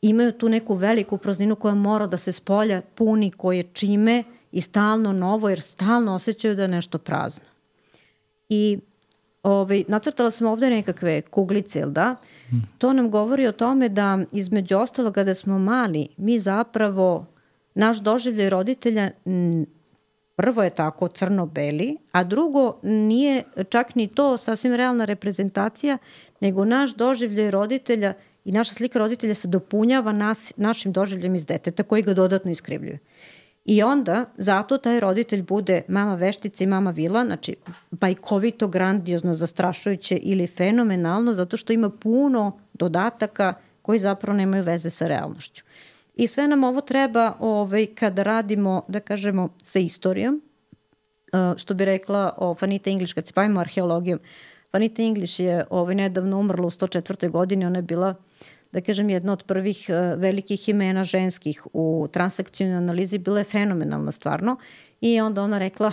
imaju tu neku veliku prazninu koja mora da se spolja puni, koje čime i stalno novo, jer stalno osjećaju da je nešto prazno. I Ovaj, nacrtala sam ovde nekakve kuglice, jel da? Hmm. To nam govori o tome da između ostalo kada smo mali, mi zapravo, naš doživljaj roditelja prvo je tako crno-beli, a drugo nije čak ni to sasvim realna reprezentacija, nego naš doživljaj roditelja i naša slika roditelja se dopunjava nas, našim doživljem iz deteta koji ga dodatno iskrivljuje. I onda, zato taj roditelj bude mama veštica i mama vila, znači bajkovito, grandiozno, zastrašujuće ili fenomenalno, zato što ima puno dodataka koji zapravo nemaju veze sa realnošću. I sve nam ovo treba ovaj, kada radimo, da kažemo, sa istorijom, što bi rekla o Vanita English, kad se bavimo arheologijom. Vanita English je ovaj, nedavno umrla u sto četvrtoj godini, ona je bila, da kažem, jedna od prvih uh, velikih imena ženskih u transakcionalnoj analizi, bila je fenomenalna stvarno i onda ona rekla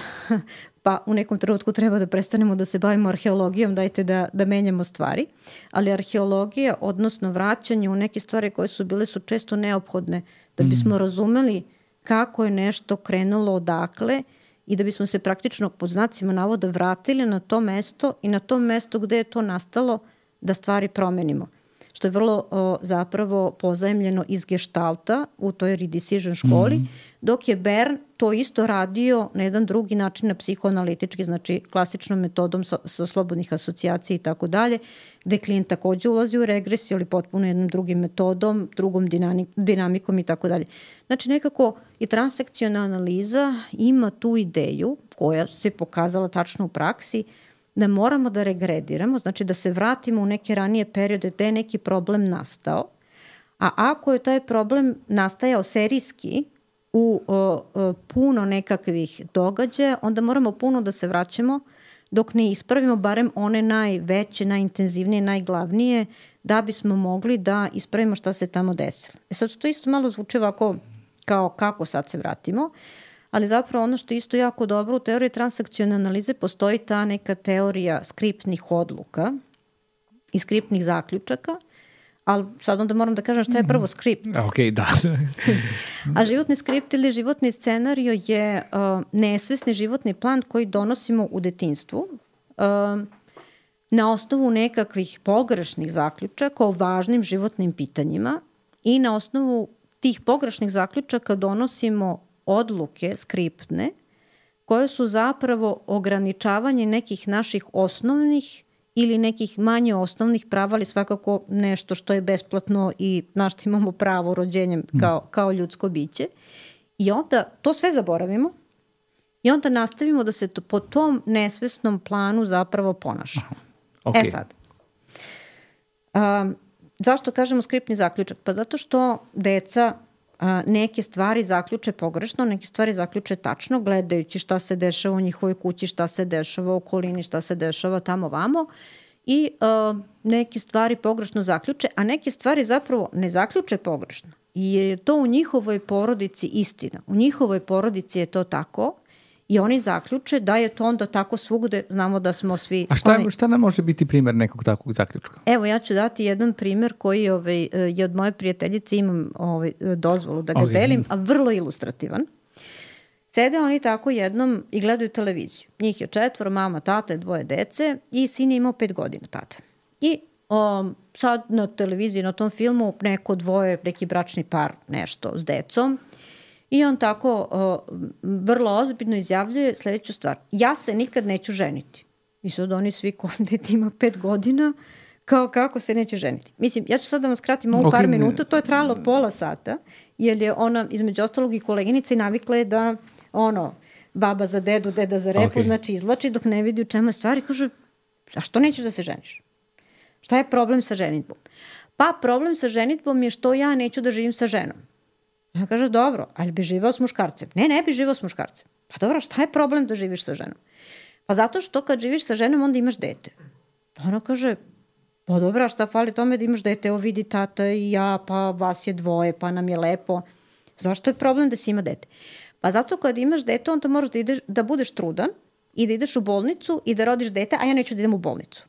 pa u nekom trenutku treba da prestanemo da se bavimo arheologijom, dajte da, da menjamo stvari, ali arheologija, odnosno vraćanje u neke stvari koje su bile su često neophodne da bismo mm. razumeli kako je nešto krenulo odakle i da bismo se praktično pod znacima navoda vratili na to mesto i na to mesto gde je to nastalo da stvari promenimo. Što je vrlo o, zapravo pozajemljeno iz Gestalta u toj redecision školi, mm-hmm. dok je Bern to isto radio na jedan drugi način, na psihoanalitički, znači klasičnom metodom sa, sa slobodnih asocijacija i tako dalje, gde klijent takođe ulazi u regresiju, ali potpuno jednom drugim metodom, drugom dinamikom i tako dalje. Znači nekako i transakcionalna analiza ima tu ideju koja se pokazala tačno u praksi, da moramo da regrediramo, znači da se vratimo u neke ranije periode gde je neki problem nastao, a ako je taj problem nastajao serijski u o, o, puno nekakvih događaja, onda moramo puno da se vraćamo dok ne ispravimo barem one najveće, najintenzivnije, najglavnije, da bismo mogli da ispravimo šta se tamo desilo. E sad to isto malo zvuči ovako kao kako sad se vratimo, ali zapravo ono što je isto jako dobro u teoriji transakcionalne analize postoji ta neka teorija skriptnih odluka i skriptnih zaključaka, ali sad onda moram da kažem šta je prvo skript. Ok, da. A životni skript ili životni scenario je uh, nesvesni životni plan koji donosimo u detinjstvu uh, na osnovu nekakvih pogrešnih zaključaka o važnim životnim pitanjima i na osnovu tih pogrešnih zaključaka donosimo odluke skriptne koje su zapravo ograničavanje nekih naših osnovnih ili nekih manje osnovnih prava, ali svakako nešto što je besplatno i na što imamo pravo rođenjem kao, kao ljudsko biće. I onda to sve zaboravimo i onda nastavimo da se to, po tom nesvesnom planu zapravo ponašamo. Okay. E sad, um, zašto kažemo skriptni zaključak? Pa zato što deca a, neke stvari zaključe pogrešno, neke stvari zaključe tačno, gledajući šta se dešava u njihovoj kući, šta se dešava u okolini, šta se dešava tamo vamo i a, neke stvari pogrešno zaključe, a neke stvari zapravo ne zaključe pogrešno. Jer je to u njihovoj porodici istina. U njihovoj porodici je to tako i oni zaključe da je to onda tako svugde, znamo da smo svi... A šta, šta nam može biti primer nekog takvog zaključka? Evo, ja ću dati jedan primer koji ovaj, je od moje prijateljice, imam ovaj, dozvolu da ga okay. delim, a vrlo ilustrativan. Sede oni tako jednom i gledaju televiziju. Njih je četvoro, mama, tata, dvoje dece i sin je imao pet godina tada. I um, sad na televiziji, na tom filmu, neko dvoje, neki bračni par, nešto s decom. I on tako uh, vrlo ozbiljno izjavljuje sledeću stvar. Ja se nikad neću ženiti. I sad oni svi, ko dete ima pet godina, kao kako se neće ženiti. Mislim, ja ću sad da vam skratim ovu okay. par minuta, to je trajalo pola sata, jer je ona između ostalog i koleginica i navikla je da ono, baba za dedu, deda za repu, okay. znači izvlači dok ne vidi u čemu je stvari, kaže, a što nećeš da se ženiš? Šta je problem sa ženitbom? Pa problem sa ženitbom je što ja neću da živim sa ženom. Ja kaže, dobro, ali bi živao s muškarcem? Ne, ne bi živao s muškarcem. Pa dobro, šta je problem da živiš sa ženom? Pa zato što kad živiš sa ženom, onda imaš dete. Ona kaže, pa dobro, šta fali tome da imaš dete? Evo vidi tata i ja, pa vas je dvoje, pa nam je lepo. Zašto je problem da si ima dete? Pa zato kad imaš dete, onda moraš da, ideš, da budeš trudan i da ideš u bolnicu i da rodiš dete, a ja neću da idem u bolnicu.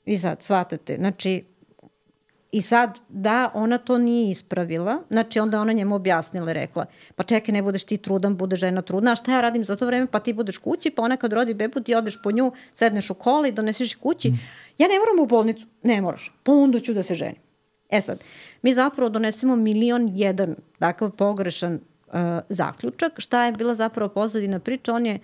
I sad, shvatate, znači, i sad, da, ona to nije ispravila, znači onda ona njemu objasnila i rekla, pa čekaj, ne budeš ti trudan, bude žena trudna, a šta ja radim za to vreme, pa ti budeš kući, pa ona kad rodi bebu, ti odeš po nju, sedneš u kola i doneseš kući, mm. ja ne moram u bolnicu, ne moraš, pa onda ću da se ženim. E sad, mi zapravo donesemo milion jedan takav pogrešan uh, zaključak, šta je bila zapravo pozadina priča, on je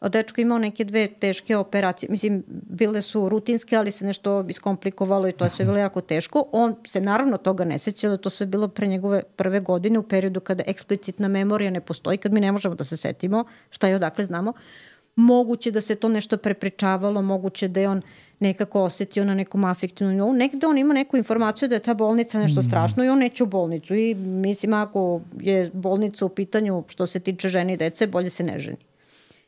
dečko imao neke dve teške operacije. Mislim, bile su rutinske, ali se nešto iskomplikovalo i to je sve bilo jako teško. On se naravno toga ne seća da to sve bilo pre njegove prve godine u periodu kada eksplicitna memorija ne postoji, kad mi ne možemo da se setimo šta je odakle znamo. Moguće da se to nešto prepričavalo, moguće da je on nekako osetio na nekom afektivnom nivou. Negde on ima neku informaciju da je ta bolnica nešto strašno i on neće u bolnicu. I mislim, ako je bolnica u pitanju što se tiče žene i dece, bolje se ne ženi.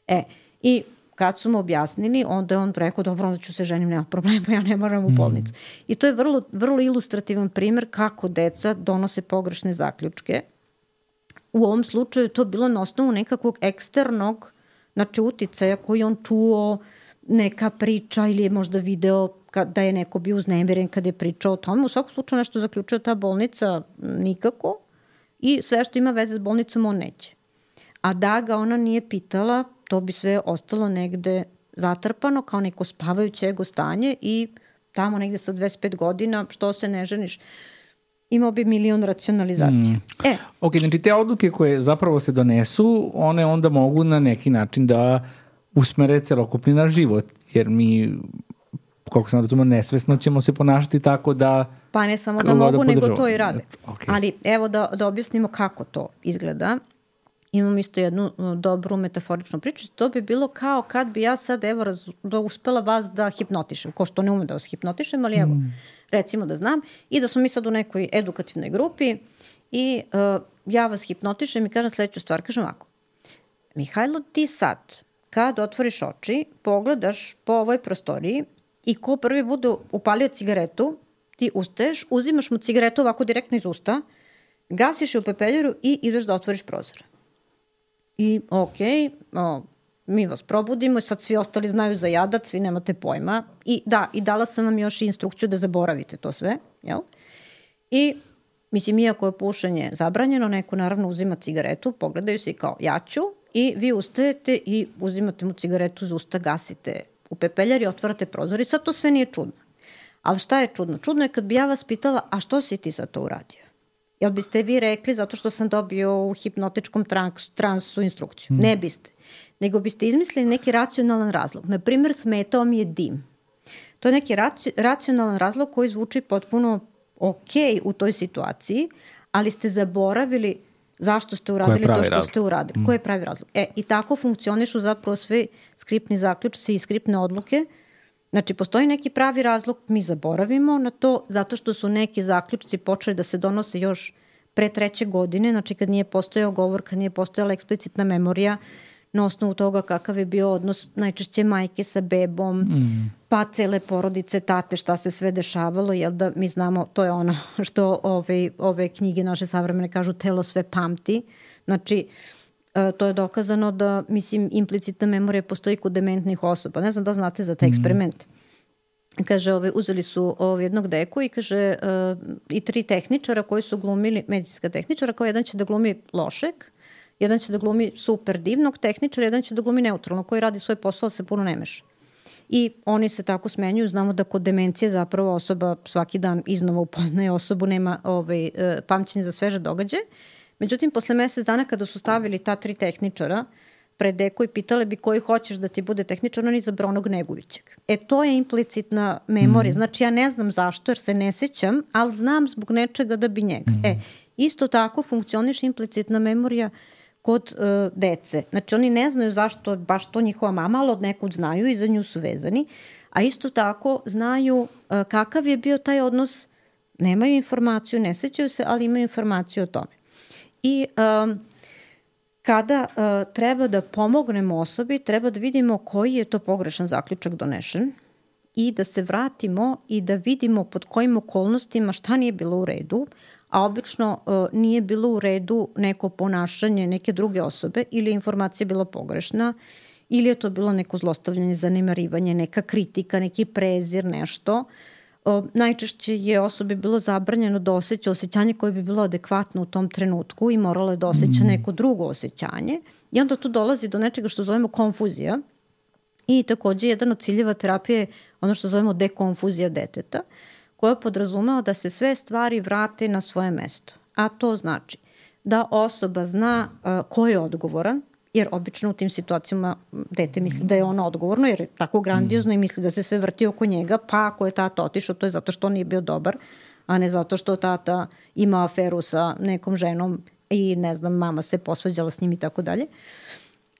E, i kad su mu objasnili, onda je on rekao, dobro, onda ću se ženim, nema problema, ja ne moram u bolnicu. Mm. I to je vrlo, vrlo ilustrativan primer kako deca donose pogrešne zaključke. U ovom slučaju to bilo na osnovu nekakvog eksternog, znači uticaja koji on čuo, neka priča ili je možda video da je neko bio uznemiren kad je pričao o tome. U svakom slučaju nešto zaključio ta bolnica nikako i sve što ima veze s bolnicom on neće. A da ga ona nije pitala, to bi sve ostalo negde zatrpano kao neko spavajuće ego stanje i tamo negde sa dvadeset pet godina, što se ne ženiš, imao bi milion racionalizacija. Mm. E. Ok, znači te odluke koje zapravo se donesu, one onda mogu na neki način da usmere celokupni naš život, jer mi, koliko sam razumio, nesvesno ćemo se ponašati tako da... Pa ne samo da mogu, nego to i rade. Okay. Ali evo da, da objasnimo kako to izgleda. Imam isto jednu dobru metaforičnu priču. To bi bilo kao kad bi ja sad evo raz, da uspela vas da hipnotišem. Ko što ne umem da vas hipnotišem, ali evo, mm. recimo da znam. I da smo mi sad u nekoj edukativnoj grupi i uh, ja vas hipnotišem i kažem sledeću stvar. Kažem ovako, Mihajlo, ti sad kad otvoriš oči, pogledaš po ovoj prostoriji i ko prvi bude upalio cigaretu, ti ustaješ, uzimaš mu cigaretu ovako direktno iz usta, gasiš je u pepeljaru i ideš da otvoriš prozor. I okej, okay, mi vas probudimo i sad svi ostali znaju za jadac, svi nemate pojma. I da, i dala sam vam još instrukciju da zaboravite to sve, jel? I mislim, iako je pušenje zabranjeno, neko naravno uzima cigaretu, pogledaju se i kao ja ću i vi ustajete i uzimate mu cigaretu za usta, gasite u pepeljar i otvarate prozor i sad to sve nije čudno. Ali šta je čudno? Čudno je kad bi ja vas pitala, a što si ti sad to uradio? Jel biste vi rekli zato što sam dobio u hipnotičkom transu, transu instrukciju? Mm. Ne biste. Nego biste izmislili neki racionalan razlog. Naprimer, smetao mi je dim. To je neki raci, racionalan razlog koji zvuči potpuno ok u toj situaciji, ali ste zaboravili zašto ste uradili to što razlog? ste uradili. Mm. Koji je pravi razlog? E, i tako funkcionišu zapravo svi skriptni zaključci i skriptne odluke. Znači, postoji neki pravi razlog, mi zaboravimo na to, zato što su neki zaključci počeli da se donose još pre treće godine, znači kad nije postojao govor, kad nije postojala eksplicitna memorija, na osnovu toga kakav je bio odnos najčešće majke sa bebom, mm. pa cele porodice, tate, šta se sve dešavalo, jel da mi znamo, to je ono što ove, ove knjige naše savremene kažu, telo sve pamti, znači, to je dokazano da, mislim, implicitna memorija postoji kod dementnih osoba. Ne znam da znate za taj eksperiment. Kaže, ove, uzeli su ove, jednog deku i kaže uh, i tri tehničara koji su glumili, medicinska tehničara, kao jedan će da glumi lošeg, jedan će da glumi super divnog tehničara, jedan će da glumi neutralno, koji radi svoj posao, se puno ne meša. I oni se tako smenjuju. Znamo da kod demencije zapravo osoba svaki dan iznova upoznaje osobu, nema ovaj, pamćenje za sveže događaje. Međutim, posle mesec dana kada su stavili ta tri tehničara pred deku i pitale bi koji hoćeš da ti bude tehničar, on izabrao onog negujućeg. E, to je implicitna memorija. Mm. Znači, ja ne znam zašto, jer se ne sećam, ali znam zbog nečega da bi njega. Mm. E, isto tako funkcioniš implicitna memorija kod uh, dece. Znači, oni ne znaju zašto baš to njihova mama, ali od nekud znaju i za nju su vezani. A isto tako znaju uh, kakav je bio taj odnos. Nemaju informaciju, ne sećaju se, ali imaju informaciju o tome. I um, kada uh, treba da pomognemo osobi, treba da vidimo koji je to pogrešan zaključak donešen i da se vratimo i da vidimo pod kojim okolnostima šta nije bilo u redu, a obično uh, nije bilo u redu neko ponašanje neke druge osobe ili je informacija bila pogrešna ili je to bilo neko zlostavljanje, zanemarivanje, neka kritika, neki prezir, nešto. Uh, najčešće je osobi bilo zabranjeno da osjeća osjećanje koje bi bilo adekvatno u tom trenutku i moralo je da osjeća neko drugo osjećanje. I onda tu dolazi do nečega što zovemo konfuzija. I takođe jedan od ciljeva terapije je ono što zovemo dekonfuzija deteta, koja podrazumeva da se sve stvari vrate na svoje mesto. A to znači da osoba zna uh, ko je odgovoran, jer obično u tim situacijama dete misli da je ono odgovorno, jer je tako grandiozno i misli da se sve vrti oko njega, pa ako je tata otišao, to je zato što on nije bio dobar, a ne zato što tata ima aferu sa nekom ženom i ne znam, mama se posvađala s njim i tako dalje.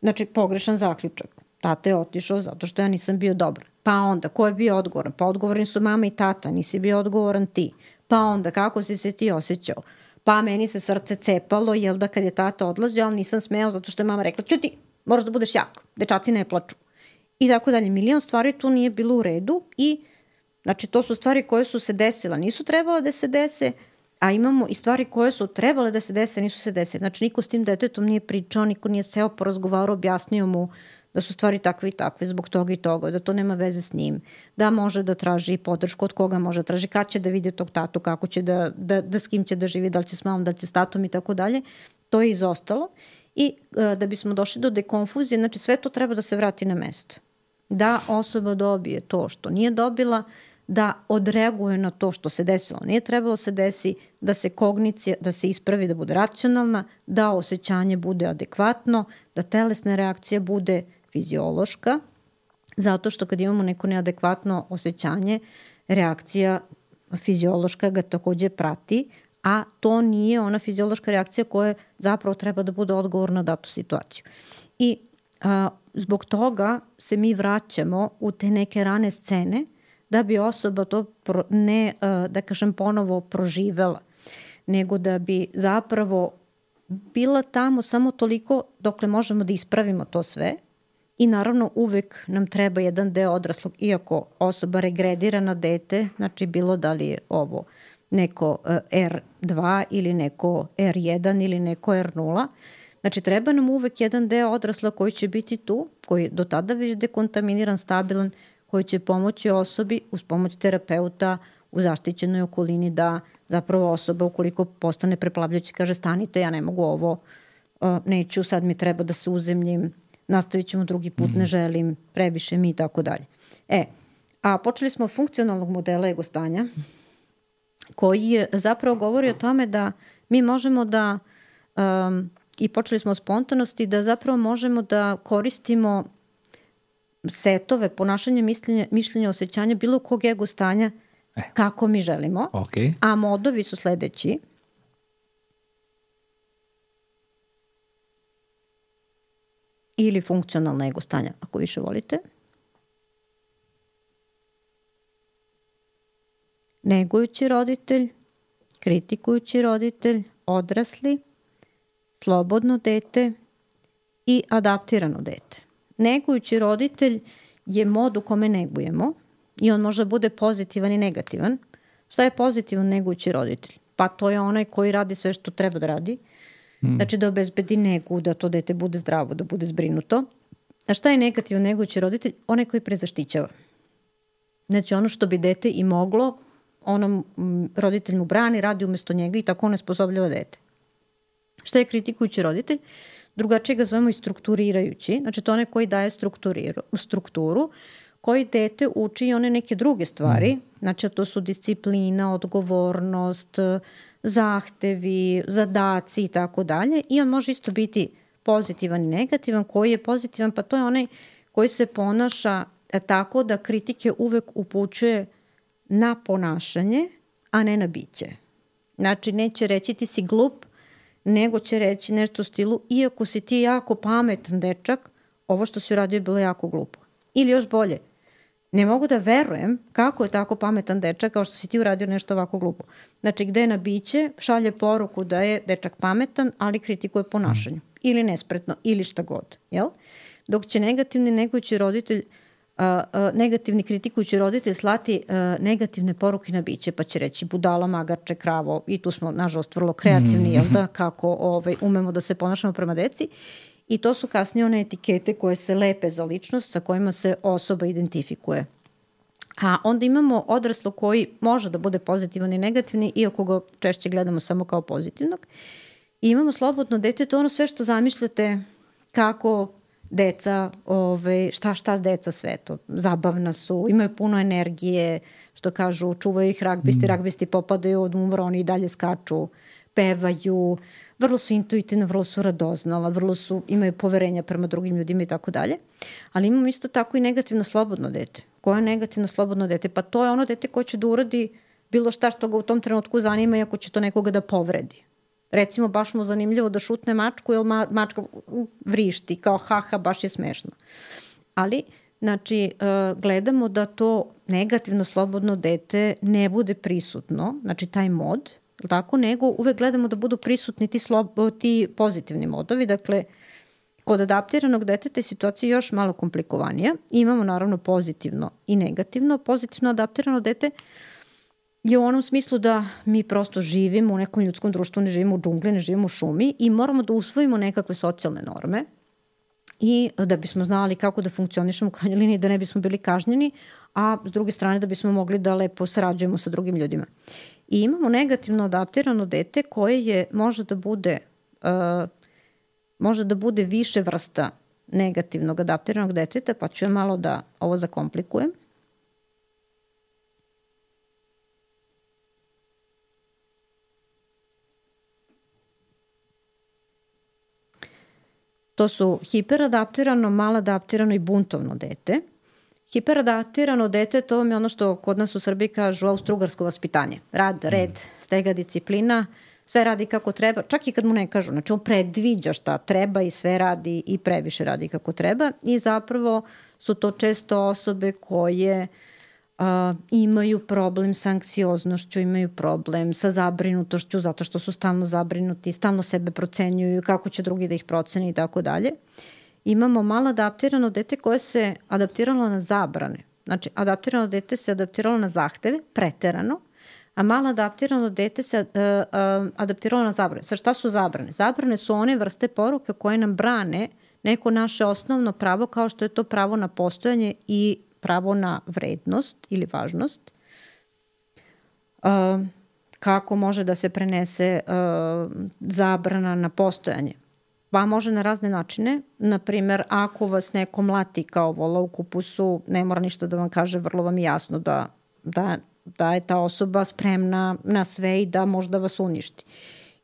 Znači, pogrešan zaključak. Tata je otišao zato što ja nisam bio dobar. Pa onda, ko je bio odgovoran? Pa odgovorni su mama i tata, nisi bio odgovoran ti. Pa onda, kako si se ti osjećao? Pa meni se srce cepalo, jel da kad je tata odlazio, ali nisam smeo zato što je mama rekla, ćuti, moraš da budeš jak, dečaci ne plaču. I tako dalje. Milion stvari tu nije bilo u redu i znači to su stvari koje su se desile, nisu trebale da se dese, a imamo i stvari koje su trebale da se dese, nisu se desile. Znači niko s tim detetom nije pričao, niko nije seo porazgovarao, objasnio mu da su stvari takve i takve zbog toga i toga, da to nema veze s njim, da može da traži podršku, od koga može da traži, kad će da vidi tog tatu, kako će da, da, da s kim će da živi, da li će s mamom, da li će s tatom i tako dalje. To je izostalo. I uh, da bismo došli do dekonfuzije, znači sve to treba da se vrati na mesto. Da osoba dobije to što nije dobila, da odreaguje na to što se desilo. Nije trebalo se desi, da se kognicija, da se ispravi, da bude racionalna, da osjećanje bude adekvatno, da telesna reakcija bude fiziološka, zato što kad imamo neko neadekvatno osjećanje, reakcija fiziološka ga takođe prati, a to nije ona fiziološka reakcija koja zapravo treba da bude odgovor na datu situaciju. I a, zbog toga se mi vraćamo u te neke rane scene da bi osoba to pro, ne, a, da kažem, ponovo proživela, nego da bi zapravo bila tamo samo toliko dokle možemo da ispravimo to sve. I naravno uvek nam treba jedan deo odraslog, iako osoba regredira na dete, znači bilo da li je ovo neko er dva ili neko er jedan ili neko er nula, znači treba nam uvek jedan deo odrasla koji će biti tu, koji je do tada već dekontaminiran, stabilan, koji će pomoći osobi uz pomoć terapeuta u zaštićenoj okolini da zapravo osoba ukoliko postane preplavljajući kaže stanite, ja ne mogu ovo, neću, sad mi treba da se uzemljim, nastavit ćemo drugi put, mm-hmm. ne želim, previše mi i tako dalje. E, a počeli smo od funkcionalnog modela ego stanja, koji je, zapravo govori o tome da mi možemo da, um, i počeli smo od spontanosti, da zapravo možemo da koristimo setove, ponašanje, mišljenja, mišljenja, osjećanja, bilo kog ego stanja e. kako mi želimo. Okay. A modovi su sledeći. Ili funkcionalna ego stanja, ako više volite. Negujući roditelj, kritikujući roditelj, odrasli, slobodno dete i adaptirano dete. Negujući roditelj je mod u kome negujemo i on može bude pozitivan i negativan. Šta je pozitivan negujući roditelj? Pa to je onaj koji radi sve što treba da radi. Hmm. Znači da obezbedi negu, da to dete bude zdravo, da bude zbrinuto. A šta je negativan negujući roditelj? Onaj koji prezaštićava. Znači ono što bi dete i moglo, onom roditelj mu brani, radi umesto njega i tako on sposobljava dete. Šta je kritikujući roditelj? Drugačije ga zovemo i strukturirajući. Znači to onaj koji daje strukturu, koji dete uči i one neke druge stvari. Znači to su disciplina, odgovornost, zahtevi, zadaci i tako dalje. I on može isto biti pozitivan i negativan. Koji je pozitivan? Pa to je onaj koji se ponaša tako da kritike uvek upućuje na ponašanje, a ne na biće. Znači, neće reći ti si glup, nego će reći nešto u stilu, iako si ti jako pametan dečak, ovo što si uradio je bilo jako glupo. Ili još bolje, ne mogu da verujem kako je tako pametan dečak kao što si ti uradio nešto ovako glupo. Znači, gde je na biće, šalje poruku da je dečak pametan, ali kritikuje ponašanje. Ili nespretno, ili šta god. Jel? Dok će negativni negujući roditelj, uh, uh, negativni kritikujući roditelj slati uh, negativne poruke na biće, pa će reći budala, magarče, kravo, i tu smo, nažalost, vrlo kreativni, jel da, kako ovaj, umemo da se ponašamo prema deci. I to su kasnije one etikete koje se lepe za ličnost sa kojima se osoba identifikuje. A onda imamo odraslo koji može da bude pozitivan i negativni, iako ga češće gledamo samo kao pozitivnog. I imamo slobodno dete, to ono sve što zamišljate kako deca, ove, šta šta deca sve to, zabavna su, imaju puno energije, što kažu, čuvaju ih ragbisti, mm. ragbisti popadaju od umora, oni i dalje skaču, pevaju, vrlo su intuitivne, vrlo su radoznala, vrlo su, imaju poverenja prema drugim ljudima i tako dalje. Ali imamo isto tako i negativno slobodno dete. Koje je negativno slobodno dete? Pa to je ono dete koje će da uradi bilo šta što ga u tom trenutku zanima i ako će to nekoga da povredi. Recimo, baš mu zanimljivo da šutne mačku, jer ma, mačka vrišti, kao haha, baš je smešno. Ali, znači, uh, gledamo da to negativno slobodno dete ne bude prisutno, znači taj mod, tako, nego uvek gledamo da budu prisutni ti, slob, ti pozitivni modovi. Dakle, kod adaptiranog deteta je situacija još malo komplikovanija. Imamo naravno pozitivno i negativno. Pozitivno adaptirano dete je u onom smislu da mi prosto živimo u nekom ljudskom društvu, ne živimo u džungli, ne živimo u šumi i moramo da usvojimo nekakve socijalne norme i da bismo znali kako da funkcionišemo u krajnjoj liniji, da ne bismo bili kažnjeni, a s druge strane da bismo mogli da lepo sarađujemo sa drugim ljudima. I imamo negativno adaptirano dete koje je, može da bude, uh, može da bude više vrsta negativnog adaptiranog deteta, pa ću ja malo da ovo zakomplikujem. To su hiperadaptirano, maladaptirano i buntovno dete. Hiperadaptirano dete, to vam je ono što kod nas u Srbiji kažu austrougarsko vaspitanje. Rad, red, stega, disciplina, sve radi kako treba, čak i kad mu ne kažu. Znači on predviđa šta treba i sve radi i previše radi kako treba i zapravo su to često osobe koje uh, imaju problem sa anksioznošću, imaju problem sa zabrinutošću zato što su stalno zabrinuti, stalno sebe procenjuju, kako će drugi da ih proceni i tako dalje. Imamo malo adaptirano dete koje se adaptiralo na zabrane. Znači, adaptirano dete se adaptiralo na zahteve, preterano, a malo adaptirano dete se uh, uh, adaptiralo na zabrane. Sa šta su zabrane? Zabrane su one vrste poruka koje nam brane neko naše osnovno pravo kao što je to pravo na postojanje i pravo na vrednost ili važnost. Uh, kako može da se prenese uh, zabrana na postojanje? Pa može na razne načine. Naprimer, ako vas neko mlati kao vola u kupusu, ne mora ništa da vam kaže, vrlo vam je jasno da, da, da je ta osoba spremna na sve i da možda vas uništi.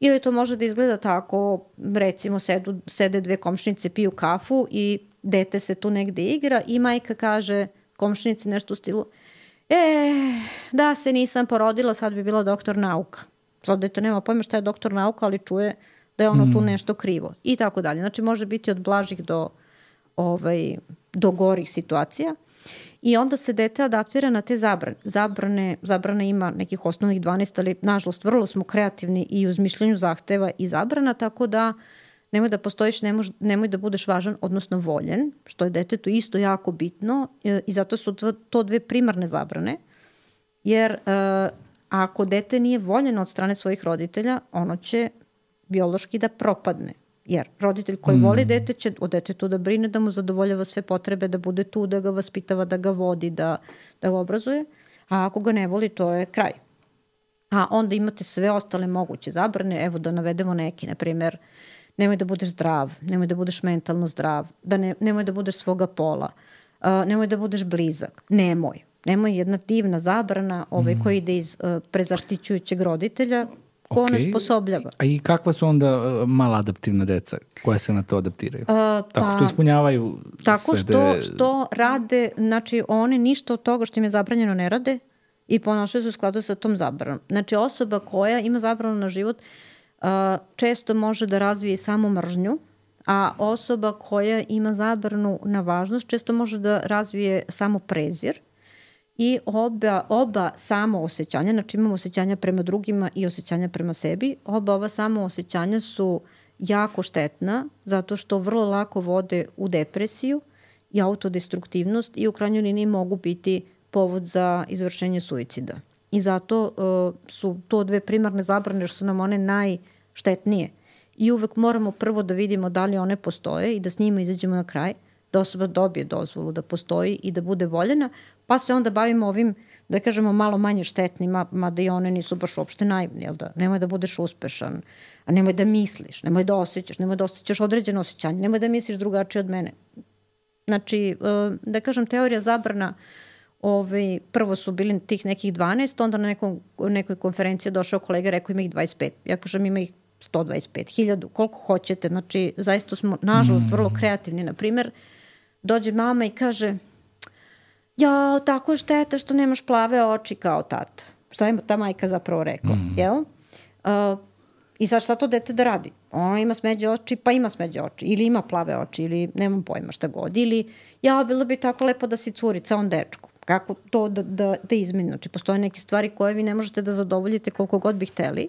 Ili to može da izgleda tako, recimo sedu, sede dve komšinice, piju kafu i dete se tu negde igra i majka kaže komšinici nešto u stilu e, da se nisam porodila, sad bi bila doktor nauka. Sad dete nema pojma šta je doktor nauka, ali čuje da je ono mm. tu nešto krivo i tako dalje. Znači može biti od blažih do, ovaj, do gorih situacija i onda se dete adaptira na te zabrane. Zabrane, zabrane ima nekih osnovnih dvanaest, ali nažalost vrlo smo kreativni i u izmišljenju zahteva i zabrana, tako da nemoj da postojiš, nemoj, nemoj da budeš važan, odnosno voljen, što je detetu isto jako bitno i zato su to, to dve primarne zabrane, jer uh, ako dete nije voljeno od strane svojih roditelja, ono će biološki da propadne. Jer roditelj koji mm. voli dete će o detetu da brine, da mu zadovoljava sve potrebe, da bude tu, da ga vaspitava, da ga vodi, da, da ga obrazuje. A ako ga ne voli, to je kraj. A onda imate sve ostale moguće zabrane. Evo da navedemo neki, na primjer, nemoj da budeš zdrav, nemoj da budeš mentalno zdrav, da ne, nemoj da budeš svoga pola, uh, nemoj da budeš blizak, nemoj. Nemoj, jedna divna zabrana ovaj, mm. koja ide iz uh, prezaštićujućeg roditelja, ko okay. onesposobljava. A i kakva su onda uh, maladaptivna deca koja se na to adaptiraju? Uh, pa, tako što ispunjavaju tako sve što, de... što rade, znači oni ništa od toga što im je zabranjeno ne rade i ponašaju se u skladu sa tom zabranom. Znači osoba koja ima zabranu na život uh, često može da razvije samo mržnju, a osoba koja ima zabranu na važnost često može da razvije samo prezir i oba, oba samo osjećanja, znači imamo osjećanja prema drugima i osjećanja prema sebi, oba ova samo osjećanja su jako štetna zato što vrlo lako vode u depresiju i autodestruktivnost i u krajnjoj liniji mogu biti povod za izvršenje suicida. I zato uh, su to dve primarne zabrane jer su nam one najštetnije. I uvek moramo prvo da vidimo da li one postoje i da s njima izađemo na kraj, da osoba dobije dozvolu da postoji i da bude voljena, pa se onda bavimo ovim, da kažemo, malo manje štetnima, mada i one nisu baš uopšte naivni, jel da? Nemoj da budeš uspešan, a nemoj da misliš, nemoj da osjećaš, nemoj da osjećaš određeno osjećanje, nemoj da misliš drugačije od mene. Znači, da kažem, teorija zabrana, ovaj, prvo su bili tih nekih dvanaest, onda na nekom, nekoj konferenciji došao kolega, rekao ima ih dvadeset pet. Ja kažem, ima ih sto dvadeset pet, hiljadu, koliko hoćete. Znači, zaista smo, nažalost, vrlo kreativni. Naprimer, dođe mama i kaže, jao, tako je šteta što nemaš plave oči kao tata. Šta je ta majka zapravo rekla, mm. jel? Uh, I sad šta to dete da radi? Ona ima smeđe oči, pa ima smeđe oči. Ili ima plave oči, ili nemam pojma šta god. Ili, ja, bilo bi tako lepo da si curica, on dečko. Kako to da, da, da izmeni? Znači, postoje neke stvari koje vi ne možete da zadovoljite koliko god bi hteli.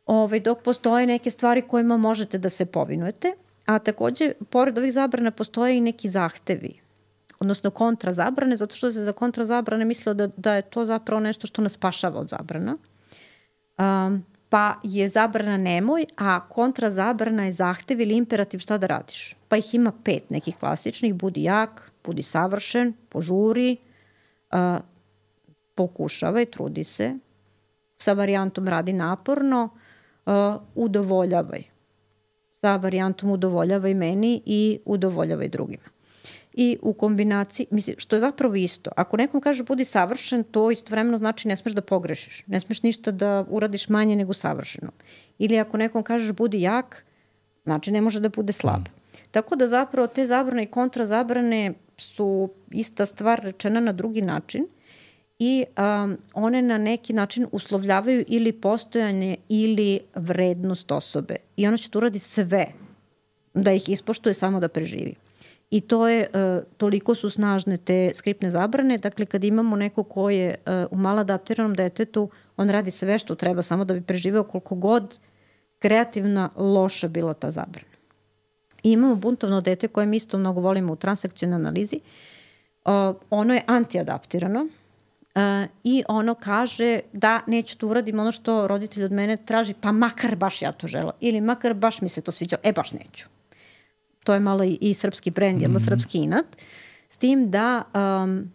Ove, dok postoje neke stvari kojima možete da se povinujete. A takođe, pored ovih zabrana postoje i neki zahtevi, odnosno kontrazabrane, zato što se za kontrazabrane mislilo da, da je to zapravo nešto što nas spašava od zabrana. Um, pa je zabrana nemoj, a kontrazabrana je zahtev ili imperativ šta da radiš. Pa ih ima pet nekih klasičnih, budi jak, budi savršen, požuri, uh, pokušavaj, trudi se, sa varijantom radi naporno, uh, udovoljavaj. Sa varijantom udovoljavaj meni i udovoljavaj drugima. I u kombinaciji, mislim, što je zapravo isto. Ako nekom kaže budi savršen, to istovremeno znači ne smeš da pogrešiš. Ne smeš ništa da uradiš manje nego savršeno. Ili ako nekom kažeš budi jak, znači ne može da bude slab. Tako da zapravo te zabrane i kontrazabrane su ista stvar rečena na drugi način i um, one na neki način uslovljavaju ili postojanje ili vrednost osobe. I ona će tu uradi sve da ih ispoštuje samo da preživi. I to je, uh, toliko su snažne te skriptne zabrane, dakle kad imamo neko ko je uh, u maladaptiranom detetu, on radi sve što treba samo da bi preživeo koliko god kreativna, loša bila ta zabrana. I imamo buntovno dete koje mi isto mnogo volimo u transakcionalnoj analizi, uh, ono je antiadaptirano uh, i ono kaže da neću to uradim ono što roditelj od mene traži, pa makar baš ja to žela ili makar baš mi se to sviđa, e baš neću. To je malo i, i srpski brend, mm-hmm. jedno srpski inat, s tim da um,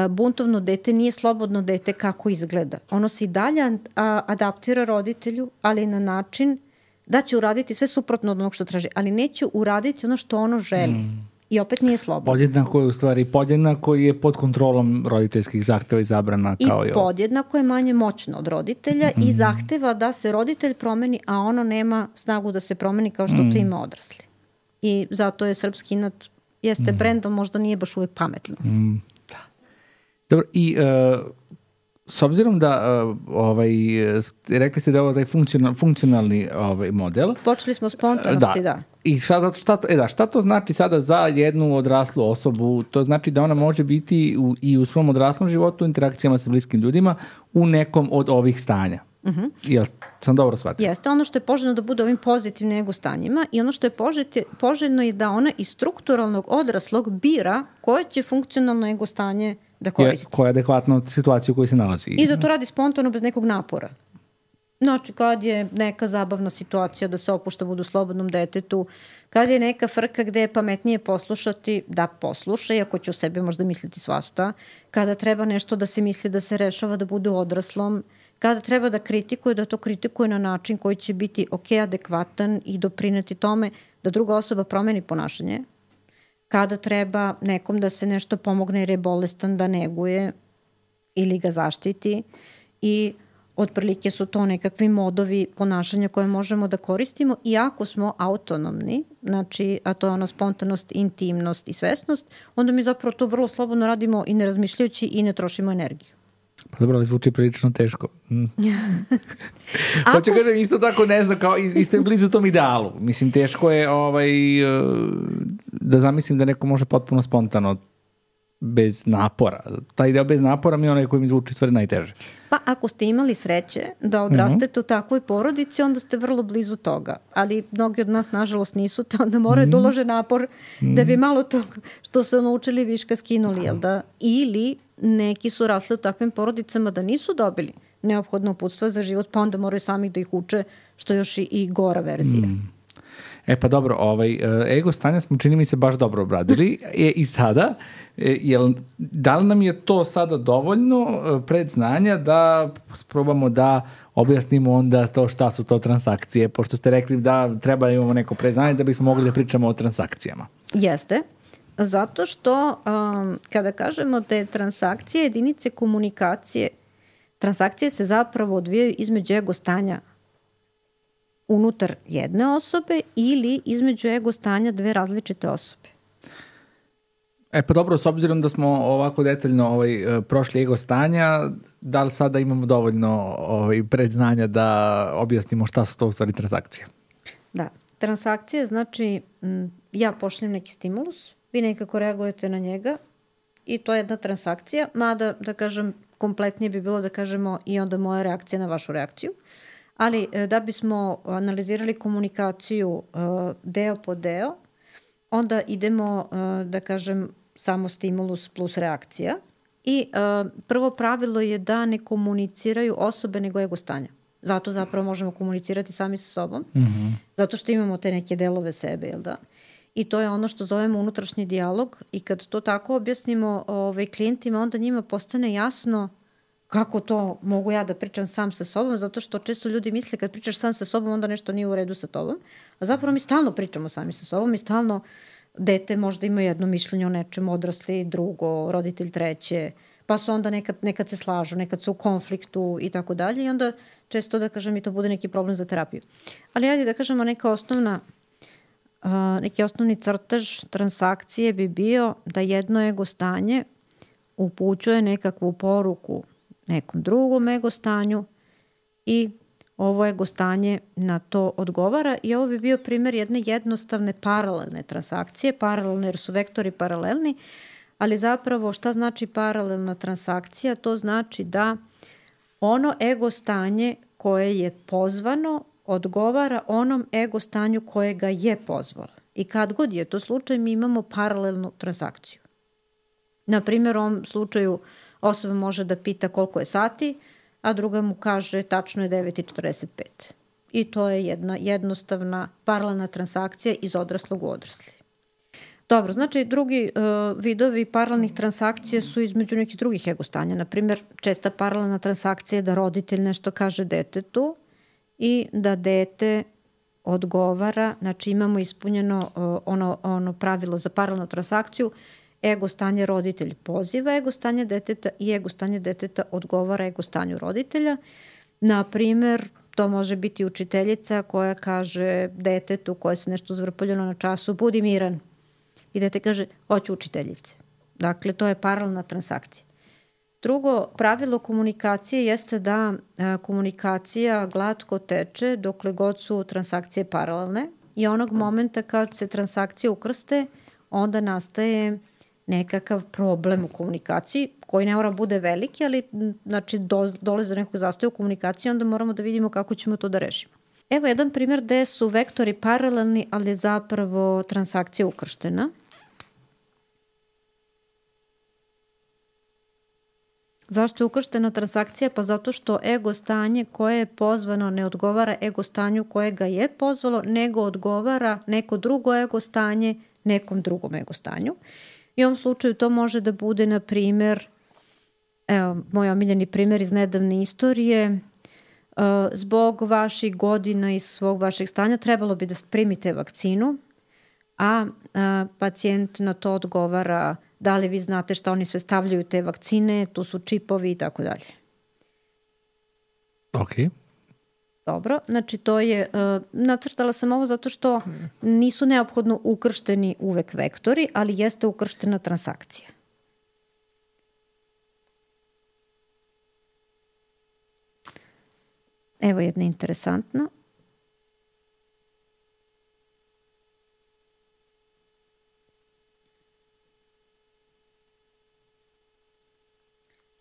buntovno dete nije slobodno dete kako izgleda. Ono se i dalje a, adaptira roditelju, ali na način da će uraditi sve suprotno od onog što traži, ali neće uraditi ono što ono želi. Mm. I opet nije slobodno. Podjednako je u stvari, podjednako je pod kontrolom roditeljskih zahteva i zabrana kao i, i podjednako je manje moćno od roditelja mm. i zahteva da se roditelj promeni, a ono nema snagu da se promeni kao što mm. to ima odrasli. I zato je srpski inat, jeste mm. brend, ali možda nije baš uvijek pametno. Mm. Da. Dobro, i uh, s obzirom da uh, ovaj, rekli ste da je ovo taj funkcional, funkcionalni ovaj, model. Počeli smo spontanosti, da. da. I šta, šta, to, e da, šta to znači sada za jednu odraslu osobu? To znači da ona može biti u, i u svom odraslom životu, u interakcijama sa bliskim ljudima, u nekom od ovih stanja. Uh-huh. Jel sam dobro shvatila? Jeste, ono što je poželjno da bude ovim pozitivnim ego stanjima i ono što je poželjno je da ona iz strukturalnog odraslog bira koje će funkcionalno ego stanje da koristi. Je, koja je adekvatna situaciju u kojoj se nalazi. I da to radi spontano bez nekog napora. Znači, kad je neka zabavna situacija da se opušta budu slobodnom detetu, kad je neka frka gde je pametnije poslušati, da posluša, iako će u sebi možda misliti svašta, kada treba nešto da se misli da se rešava da bude odraslom, kada treba da kritikuje, da to kritikuje na način koji će biti ok, adekvatan i doprineti tome da druga osoba promeni ponašanje, kada treba nekom da se nešto pomogne jer je bolestan, da neguje ili ga zaštiti i Otprilike su to nekakvi modovi ponašanja koje možemo da koristimo i ako smo autonomni, znači, a to je ona spontanost, intimnost i svesnost, onda mi zapravo to vrlo slobodno radimo i ne razmišljajući i ne trošimo energiju. Pa dobro, ali zvuči prilično teško. Mm. Hoću kažem, isto tako ne znam, kao, isto je blizu tom idealu. Mislim, teško je ovaj, da zamislim da neko može potpuno spontano bez napora. Taj deo bez napora mi je onaj koji mi zvuči stvari najteže. Pa ako ste imali sreće da odrastete mm-hmm. u takvoj porodici, onda ste vrlo blizu toga. Ali mnogi od nas, nažalost, nisu to. Onda moraju mm-hmm. da ulože napor mm-hmm. da bi malo to što su naučili viška skinuli. Jel da? Ili neki su rasli u takvim porodicama da nisu dobili neophodno uputstvo za život, pa onda moraju sami da ih uče, što još i, i gora verzija. Mm. E pa dobro, ovaj, ego stanja smo, čini mi se, baš dobro obradili. E, I sada, jel, da li nam je to sada dovoljno predznanja da probamo da objasnimo onda to šta su to transakcije, pošto ste rekli da treba da imamo neko predznanje da bismo mogli da pričamo o transakcijama? Jeste, zato što um, kada kažemo da je transakcija jedinice komunikacije, transakcije se zapravo odvijaju između ego stanja unutar jedne osobe ili između ego stanja dve različite osobe. E pa dobro, s obzirom da smo ovako detaljno ovaj, prošli ego stanja, da li sada imamo dovoljno ovaj, predznanja da objasnimo šta su to u stvari transakcije? Da, transakcije znači m, ja pošaljem neki stimulus, vi nekako reagujete na njega i to je jedna transakcija, mada da kažem kompletnije bi bilo da kažemo i onda moja reakcija na vašu reakciju. Ali da bismo analizirali komunikaciju deo po deo, onda idemo, da kažem, samo stimulus plus reakcija. I prvo pravilo je da ne komuniciraju osobe nego ego stanja. Zato zapravo možemo komunicirati sami sa sobom. Mm-hmm. Zato što imamo te neke delove sebe, jel da? I to je ono što zovemo unutrašnji dijalog. I kad to tako objasnimo ovaj, klijentima, onda njima postane jasno kako to mogu ja da pričam sam sa sobom, zato što često ljudi misle kad pričaš sam sa sobom, onda nešto nije u redu sa tobom. A zapravo mi stalno pričamo sami sa sobom i stalno dete možda ima jedno mišljenje o nečem, odrasli drugo, roditelj treće, pa su onda nekad, nekad se slažu, nekad su u konfliktu i tako dalje i onda često da kažem i to bude neki problem za terapiju. Ali ajde da kažemo neka osnovna, uh, neki osnovni crtež transakcije bi bio da jedno ego stanje upućuje nekakvu poruku nekom drugom ego stanju i ovo ego stanje na to odgovara i ovo bi bio primjer jedne jednostavne paralelne transakcije, paralelne jer su vektori paralelni, ali zapravo šta znači paralelna transakcija? To znači da ono ego stanje koje je pozvano odgovara onom ego stanju koje ga je pozvalo. I kad god je to slučaj, mi imamo paralelnu transakciju. Na primjer, u ovom slučaju osoba može da pita koliko je sati, a druga mu kaže tačno je devet i četrdeset pet. I to je jedna jednostavna paralelna transakcija iz odraslog u odrasli. Dobro, znači drugi uh, vidovi paralelnih transakcija su između nekih drugih ego stanja. Naprimjer, česta paralelna transakcija je da roditelj nešto kaže detetu i da dete odgovara, znači imamo ispunjeno uh, ono, ono pravilo za paralelnu transakciju, ego stanje roditelj poziva ego stanje deteta i ego stanje deteta odgovara ego stanju roditelja. Naprimjer, to može biti učiteljica koja kaže detetu koje se nešto zvrpoljeno na času, budi miran. I dete kaže, hoću učiteljice. Dakle, to je paralelna transakcija. Drugo pravilo komunikacije jeste da a, komunikacija glatko teče dokle god su transakcije paralelne i onog momenta kad se transakcije ukrste, onda nastaje nekakav problem u komunikaciji koji ne mora bude veliki, ali znači do, dolazi do nekog zastoja u komunikaciji, onda moramo da vidimo kako ćemo to da rešimo. Evo jedan primjer gde su vektori paralelni, ali je zapravo transakcija ukrštena. Zašto je ukrštena transakcija? Pa zato što ego stanje koje je pozvano ne odgovara ego stanju koje ga je pozvalo, nego odgovara neko drugo ego stanje nekom drugom ego stanju. I u ovom slučaju to može da bude, na primjer, evo, moj omiljeni primjer iz nedavne istorije, uh, zbog vaših godina i svog vašeg stanja trebalo bi da primite vakcinu, a uh, pacijent na to odgovara da li vi znate šta oni sve stavljaju te vakcine, tu su čipovi i tako dalje. Ok. Dobro, znači to je, uh, nacrtala sam ovo zato što nisu neophodno ukršteni uvek vektori, ali jeste ukrštena transakcija. Evo jedna interesantna.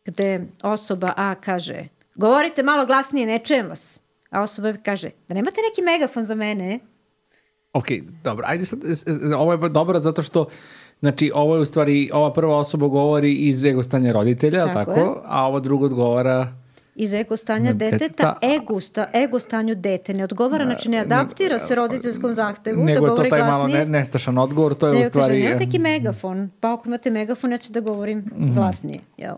Gde osoba A kaže, govorite malo glasnije, ne čujem vas. A osoba B kaže, da nemate neki megafon za mene? Ok, dobro. Ajde sad, ovo je dobro zato što, znači, ovo je u stvari, ova prva osoba govori iz ego stanja roditelja, tako, tako a ova druga odgovara iz ego stanja deteta, ego, sta, ego stanju dete. Ne odgovara, znači ne adaptira se roditeljskom zahtevu nego da govori glasnije. Nego je to taj malo ne, nestašan odgovor, to je nego u stvari... Kaže, nemate neki megafon, pa ako imate megafon, ja ću da govorim mm-hmm. glasnije. Jel?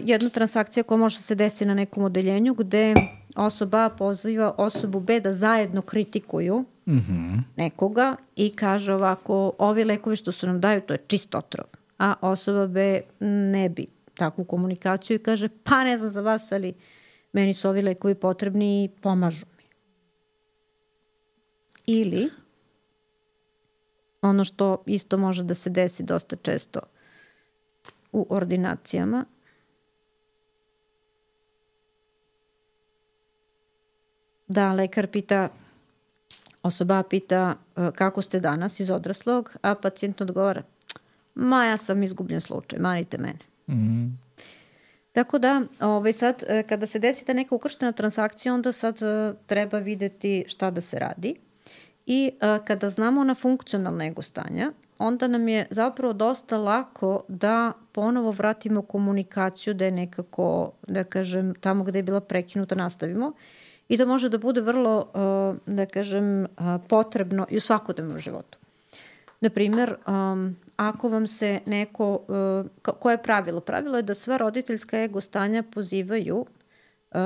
Jedna transakcija koja može se desiti na nekom odeljenju gde osoba A poziva osobu B da zajedno kritikuju mm-hmm. nekoga i kaže ovako, ovi lekovi što su nam daju, to je čist otrov. A osoba B ne bi takvu komunikaciju i kaže, pa ne znam za vas, ali meni su ovi lekovi potrebni i pomažu mi. Ili, ono što isto može da se desi dosta često u ordinacijama, da lekar pita, osoba pita kako ste danas iz odraslog, a pacijent odgovara, ma ja sam izgubljen slučaj, manite mene. Mm-hmm. Tako da, ovaj, sad, kada se desi ta neka ukrštena transakcija, onda sad treba videti šta da se radi. I kada znamo na funkcionalna ego stanja, onda nam je zapravo dosta lako da ponovo vratimo komunikaciju, da je nekako, da kažem, tamo gde je bila prekinuta nastavimo. I da može da bude vrlo, da kažem, potrebno i u svakodnevnom životu. Naprimjer, um, ako vam se neko, uh, koje je pravilo? Pravilo je da sva roditeljska ego stanja pozivaju uh,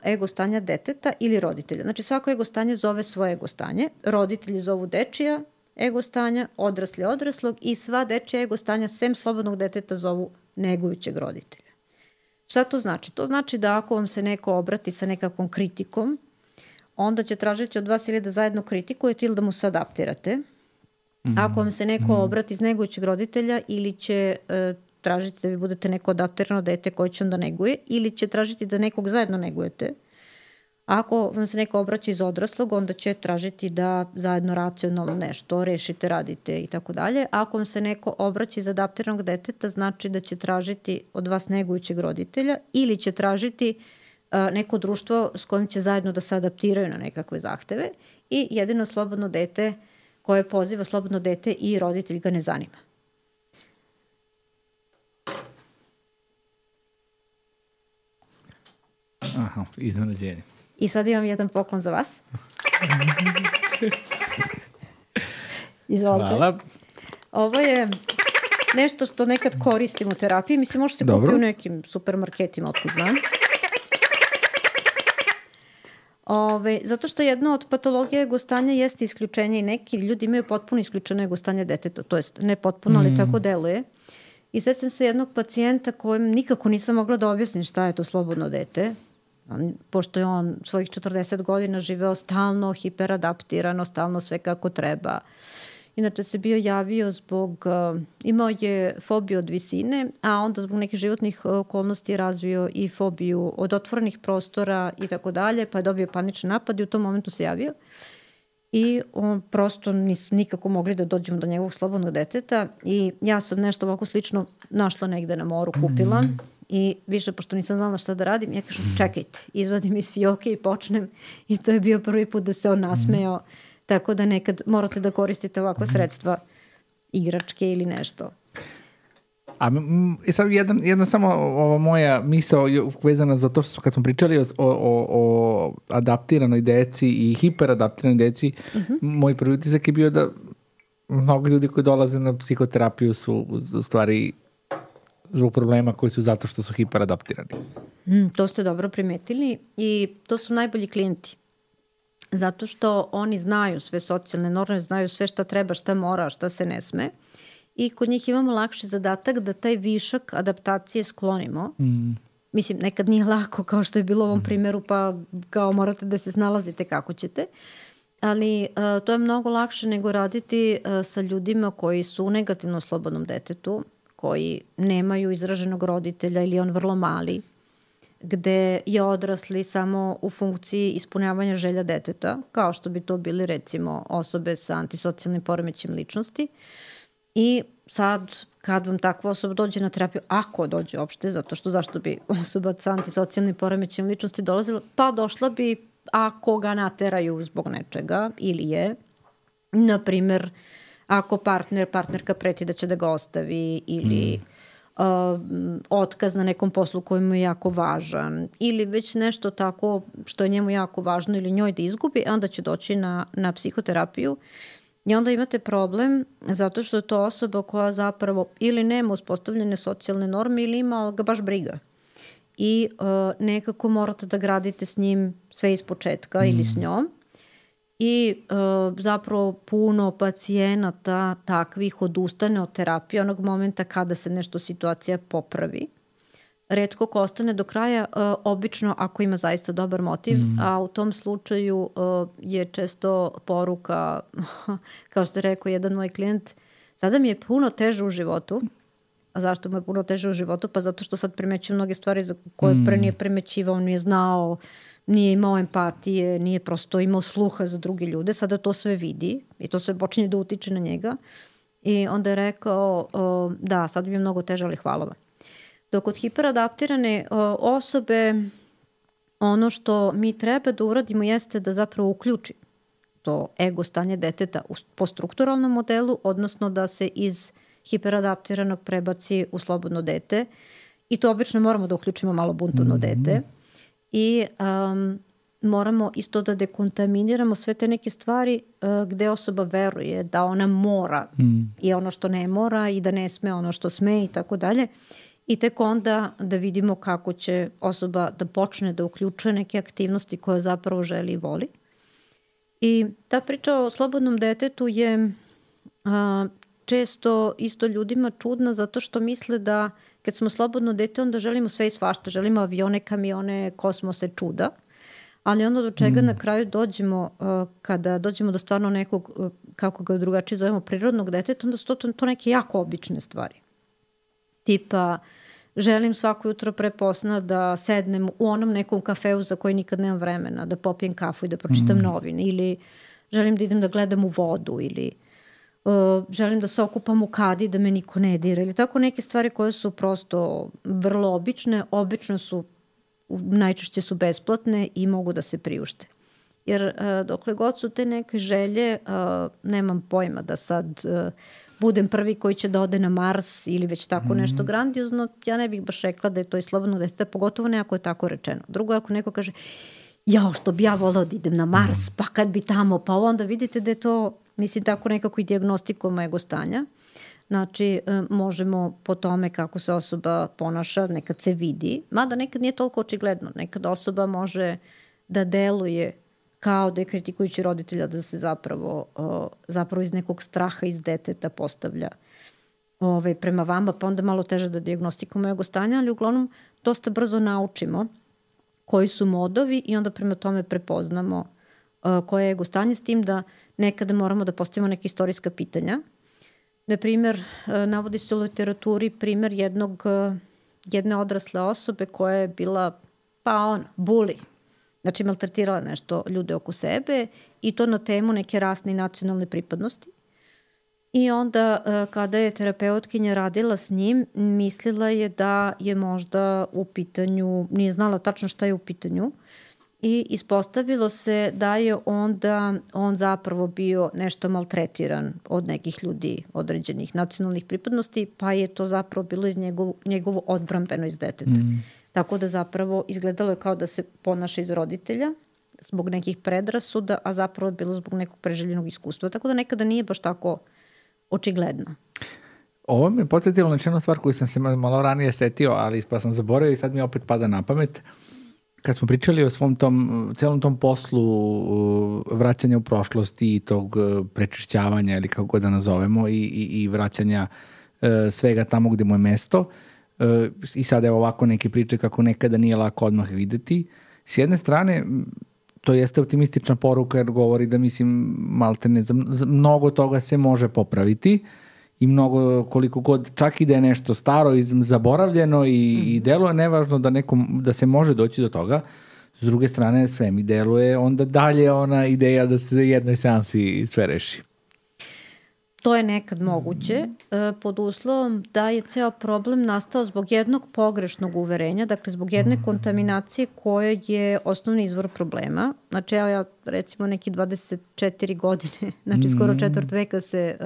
ego stanja deteta ili roditelja. Znači svako ego stanje zove svoje ego stanje, roditelji zovu dečija ego stanja, odrasli odraslog i sva dečija ego stanja sem slobodnog deteta zovu negujućeg roditelja. Šta to znači? To znači da ako vam se neko obrati sa nekakvom kritikom, onda će tražiti od vas ili da zajedno kritikujete ili da mu se adaptirate. Mm-hmm. Ako vam se neko mm-hmm. obrati iz negujućeg roditelja ili će e, tražiti da vi budete neko adaptirano dete koje će onda neguje ili će tražiti da nekog zajedno negujete. Ako vam se neko obraća iz odraslog, onda će tražiti da zajedno racionalno nešto rešite, radite i tako dalje. Ako vam se neko obraća iz adaptiranog deteta, znači da će tražiti od vas negujućeg roditelja ili će tražiti uh, neko društvo s kojim će zajedno da se adaptiraju na nekakve zahteve i jedino slobodno dete koje poziva slobodno dete i roditelj ga ne zanima. Aha, iznenađenje. I sad imam jedan poklon za vas. Izvolite. Hvala. Ovo je nešto što nekad koristim u terapiji. Mislim, možete kupiti u nekim supermarketima, otkud znam. Ove, zato što jedna od patologija ego stanja jeste isključenje i neki ljudi imaju potpuno isključeno ego stanje deteta. To jest, ne potpuno, ali mm. tako deluje. I sećam se jednog pacijenta kojem nikako nisam mogla da objasnim šta je to slobodno dete. Pošto je on svojih četrdeset godina živeo stalno hiperadaptirano, stalno sve kako treba. Inače se bio javio zbog, uh, imao je fobiju od visine, a onda zbog nekih životnih okolnosti razvio i fobiju od otvorenih prostora i tako dalje, pa je dobio panični napad i u tom momentu se javio. I on prosto nis, nikako mogli da dođemo do njegovog slobodnog deteta i ja sam nešto ovako slično našla negde na moru, kupila. Mm. I više, pošto nisam znala šta da radim, ja kažem, čekajte, izvadim iz fioke i počnem. I to je bio prvi put da se on nasmejao. Mm-hmm. Tako da nekad morate da koristite ovakva sredstva, igračke ili nešto. A m, sad jedan, jedna samo ova moja misao vezana za to što kad smo pričali o, o, o adaptiranoj deci i hiperadaptiranoj deci, mm-hmm. moj prvi utisak je bio da mnogo ljudi koji dolaze na psihoterapiju su u stvari zbog problema koji su zato što su hiperadaptirani. Mm, to ste dobro primetili i to su najbolji klijenti. Zato što oni znaju sve socijalne norme, znaju sve šta treba, šta mora, šta se ne sme. I kod njih imamo lakši zadatak da taj višak adaptacije sklonimo. Mm. Mislim, nekad nije lako kao što je bilo u ovom primjeru, pa kao morate da se snalazite kako ćete. Ali uh, to je mnogo lakše nego raditi uh, sa ljudima koji su u negativnom slobodnom detetu, koji nemaju izraženog roditelja ili on vrlo mali, gde je odrasli samo u funkciji ispunjavanja želja deteta, kao što bi to bili recimo osobe sa antisocijalnim poremećajem ličnosti. I sad kad vam takva osoba dođe na terapiju, ako dođe uopšte, zato što zašto bi osoba sa antisocijalnim poremećajem ličnosti dolazila, pa došla bi ako ga nateraju zbog nečega ili je, na primer, ako partner, partnerka preti da će da ga ostavi ili mm. uh, otkaz na nekom poslu koji mu je jako važan ili već nešto tako što je njemu jako važno ili njoj da izgubi, onda će doći na, na psihoterapiju i onda imate problem zato što je to osoba koja zapravo ili nema uspostavljene socijalne norme ili ima, ali ga baš briga. I uh, nekako morate da gradite s njim sve iz početka mm. ili s njom. I uh, zapravo puno pacijenata takvih odustane od terapije onog momenta kada se nešto situacija popravi. Retko ko ostane do kraja, uh, obično ako ima zaista dobar motiv, mm. a u tom slučaju uh, je često poruka, kao što je rekao jedan moj klijent, sada mi je puno teže u životu. A zašto mu je puno teže u životu? Pa zato što sad primećuje mnoge stvari za koje pre nije primećivao, nije znao, nije imao empatije, nije prosto imao sluha za druge ljude. Sada to sve vidi i to sve počinje da utiče na njega. I onda je rekao, o, da, sad bi je mnogo teže, ali hvala vam. Dok kod hiperadaptirane o, osobe, ono što mi treba da uradimo jeste da zapravo uključi to ego stanje deteta u, po strukturalnom modelu, odnosno da se iz hiperadaptiranog prebaci u slobodno dete i to obično moramo da uključimo malo buntovno mm-hmm. dete i um, moramo isto da dekontaminiramo sve te neke stvari uh, gde osoba veruje da ona mora mm. i ono što ne mora i da ne sme ono što sme i tako dalje i tek onda da vidimo kako će osoba da počne da uključuje neke aktivnosti koje zapravo želi i voli. I ta priča o slobodnom detetu je uh, često isto ljudima čudna zato što misle da kad smo slobodno dete onda želimo sve i svašta, želimo avione, kamione, kosmose, čuda, ali onda do čega mm. na kraju dođemo uh, kada dođemo do stvarno nekog, uh, kako ga drugačije zovemo, prirodnog deteta, onda su to, to neke jako obične stvari. Tipa, želim svako jutro pre posna da sednem u onom nekom kafeu za koji nikad nemam vremena, da popijem kafu i da pročitam mm. novine, ili želim da idem da gledam u vodu, ili Uh, želim da se okupam u kadi da me niko ne dira ili tako neke stvari koje su prosto vrlo obične, obično su, najčešće su besplatne i mogu da se priušte. Jer uh, dokle god su te neke želje, uh, nemam pojma da sad uh, budem prvi koji će da ode na Mars ili već tako mm-hmm. nešto grandiozno, ja ne bih baš rekla da je to i slobodno dete, pogotovo ne ako je tako rečeno. Drugo, ako neko kaže, jao, što bi ja volao da idem na Mars, pa kad bi tamo, pa onda vidite da je to, mislim, tako nekako i dijagnostikujemo ego stanja. Znači, možemo po tome kako se osoba ponaša, nekad se vidi, mada nekad nije toliko očigledno. Nekad osoba može da deluje kao da je kritikujući roditelja, da se zapravo, zapravo iz nekog straha iz deteta postavlja ovaj, prema vama, pa onda malo teže da dijagnostikujemo ego stanja, ali uglavnom dosta brzo naučimo koji su modovi i onda prema tome prepoznamo uh, koje je ego stanje, s tim da nekada moramo da postavimo neke istorijska pitanja. Na primjer, uh, navodi se u literaturi primjer jednog, uh, jedne odrasle osobe koja je bila, pa on, buli, znači maltretirala nešto ljude oko sebe i to na temu neke rasne i nacionalne pripadnosti. I onda uh, kada je terapeutkinja radila s njim, mislila je da je možda u pitanju, nije znala tačno šta je u pitanju i ispostavilo se da je onda on zapravo bio nešto maltretiran od nekih ljudi određenih nacionalnih pripadnosti, pa je to zapravo bilo iz njegov, njegovo odbrambeno iz deteta. Mm. Tako da zapravo izgledalo je kao da se ponaša iz roditelja zbog nekih predrasuda, a zapravo je bilo zbog nekog preželjenog iskustva. Tako da nekada nije baš tako očigledno. Ovo mi je podsjetilo na jednu stvar koju sam se malo ranije setio, ali pa sam zaboravio i sad mi opet pada na pamet. Kad smo pričali o svom tom, celom tom poslu vraćanja u prošlosti i tog prečišćavanja ili kako god da nazovemo i, i, i vraćanja e, svega tamo gde mu je mesto, e, i sad je ovako neke priče kako nekada nije lako odmah videti. S jedne strane, to jeste optimistična poruka jer govori da, mislim, malte ne, za mnogo toga se može popraviti i mnogo, koliko god, čak i da je nešto staro i zaboravljeno i, mm. i deluje nevažno da, nekom, da se može doći do toga. S druge strane, sve mi deluje onda dalje ona ideja da se jednoj seansi sve reši. To je nekad moguće, pod uslovom da je ceo problem nastao zbog jednog pogrešnog uverenja, dakle zbog jedne kontaminacije koja je osnovni izvor problema. Znači, evo ja recimo neki dvadeset četiri godine, znači skoro četvrt veka se,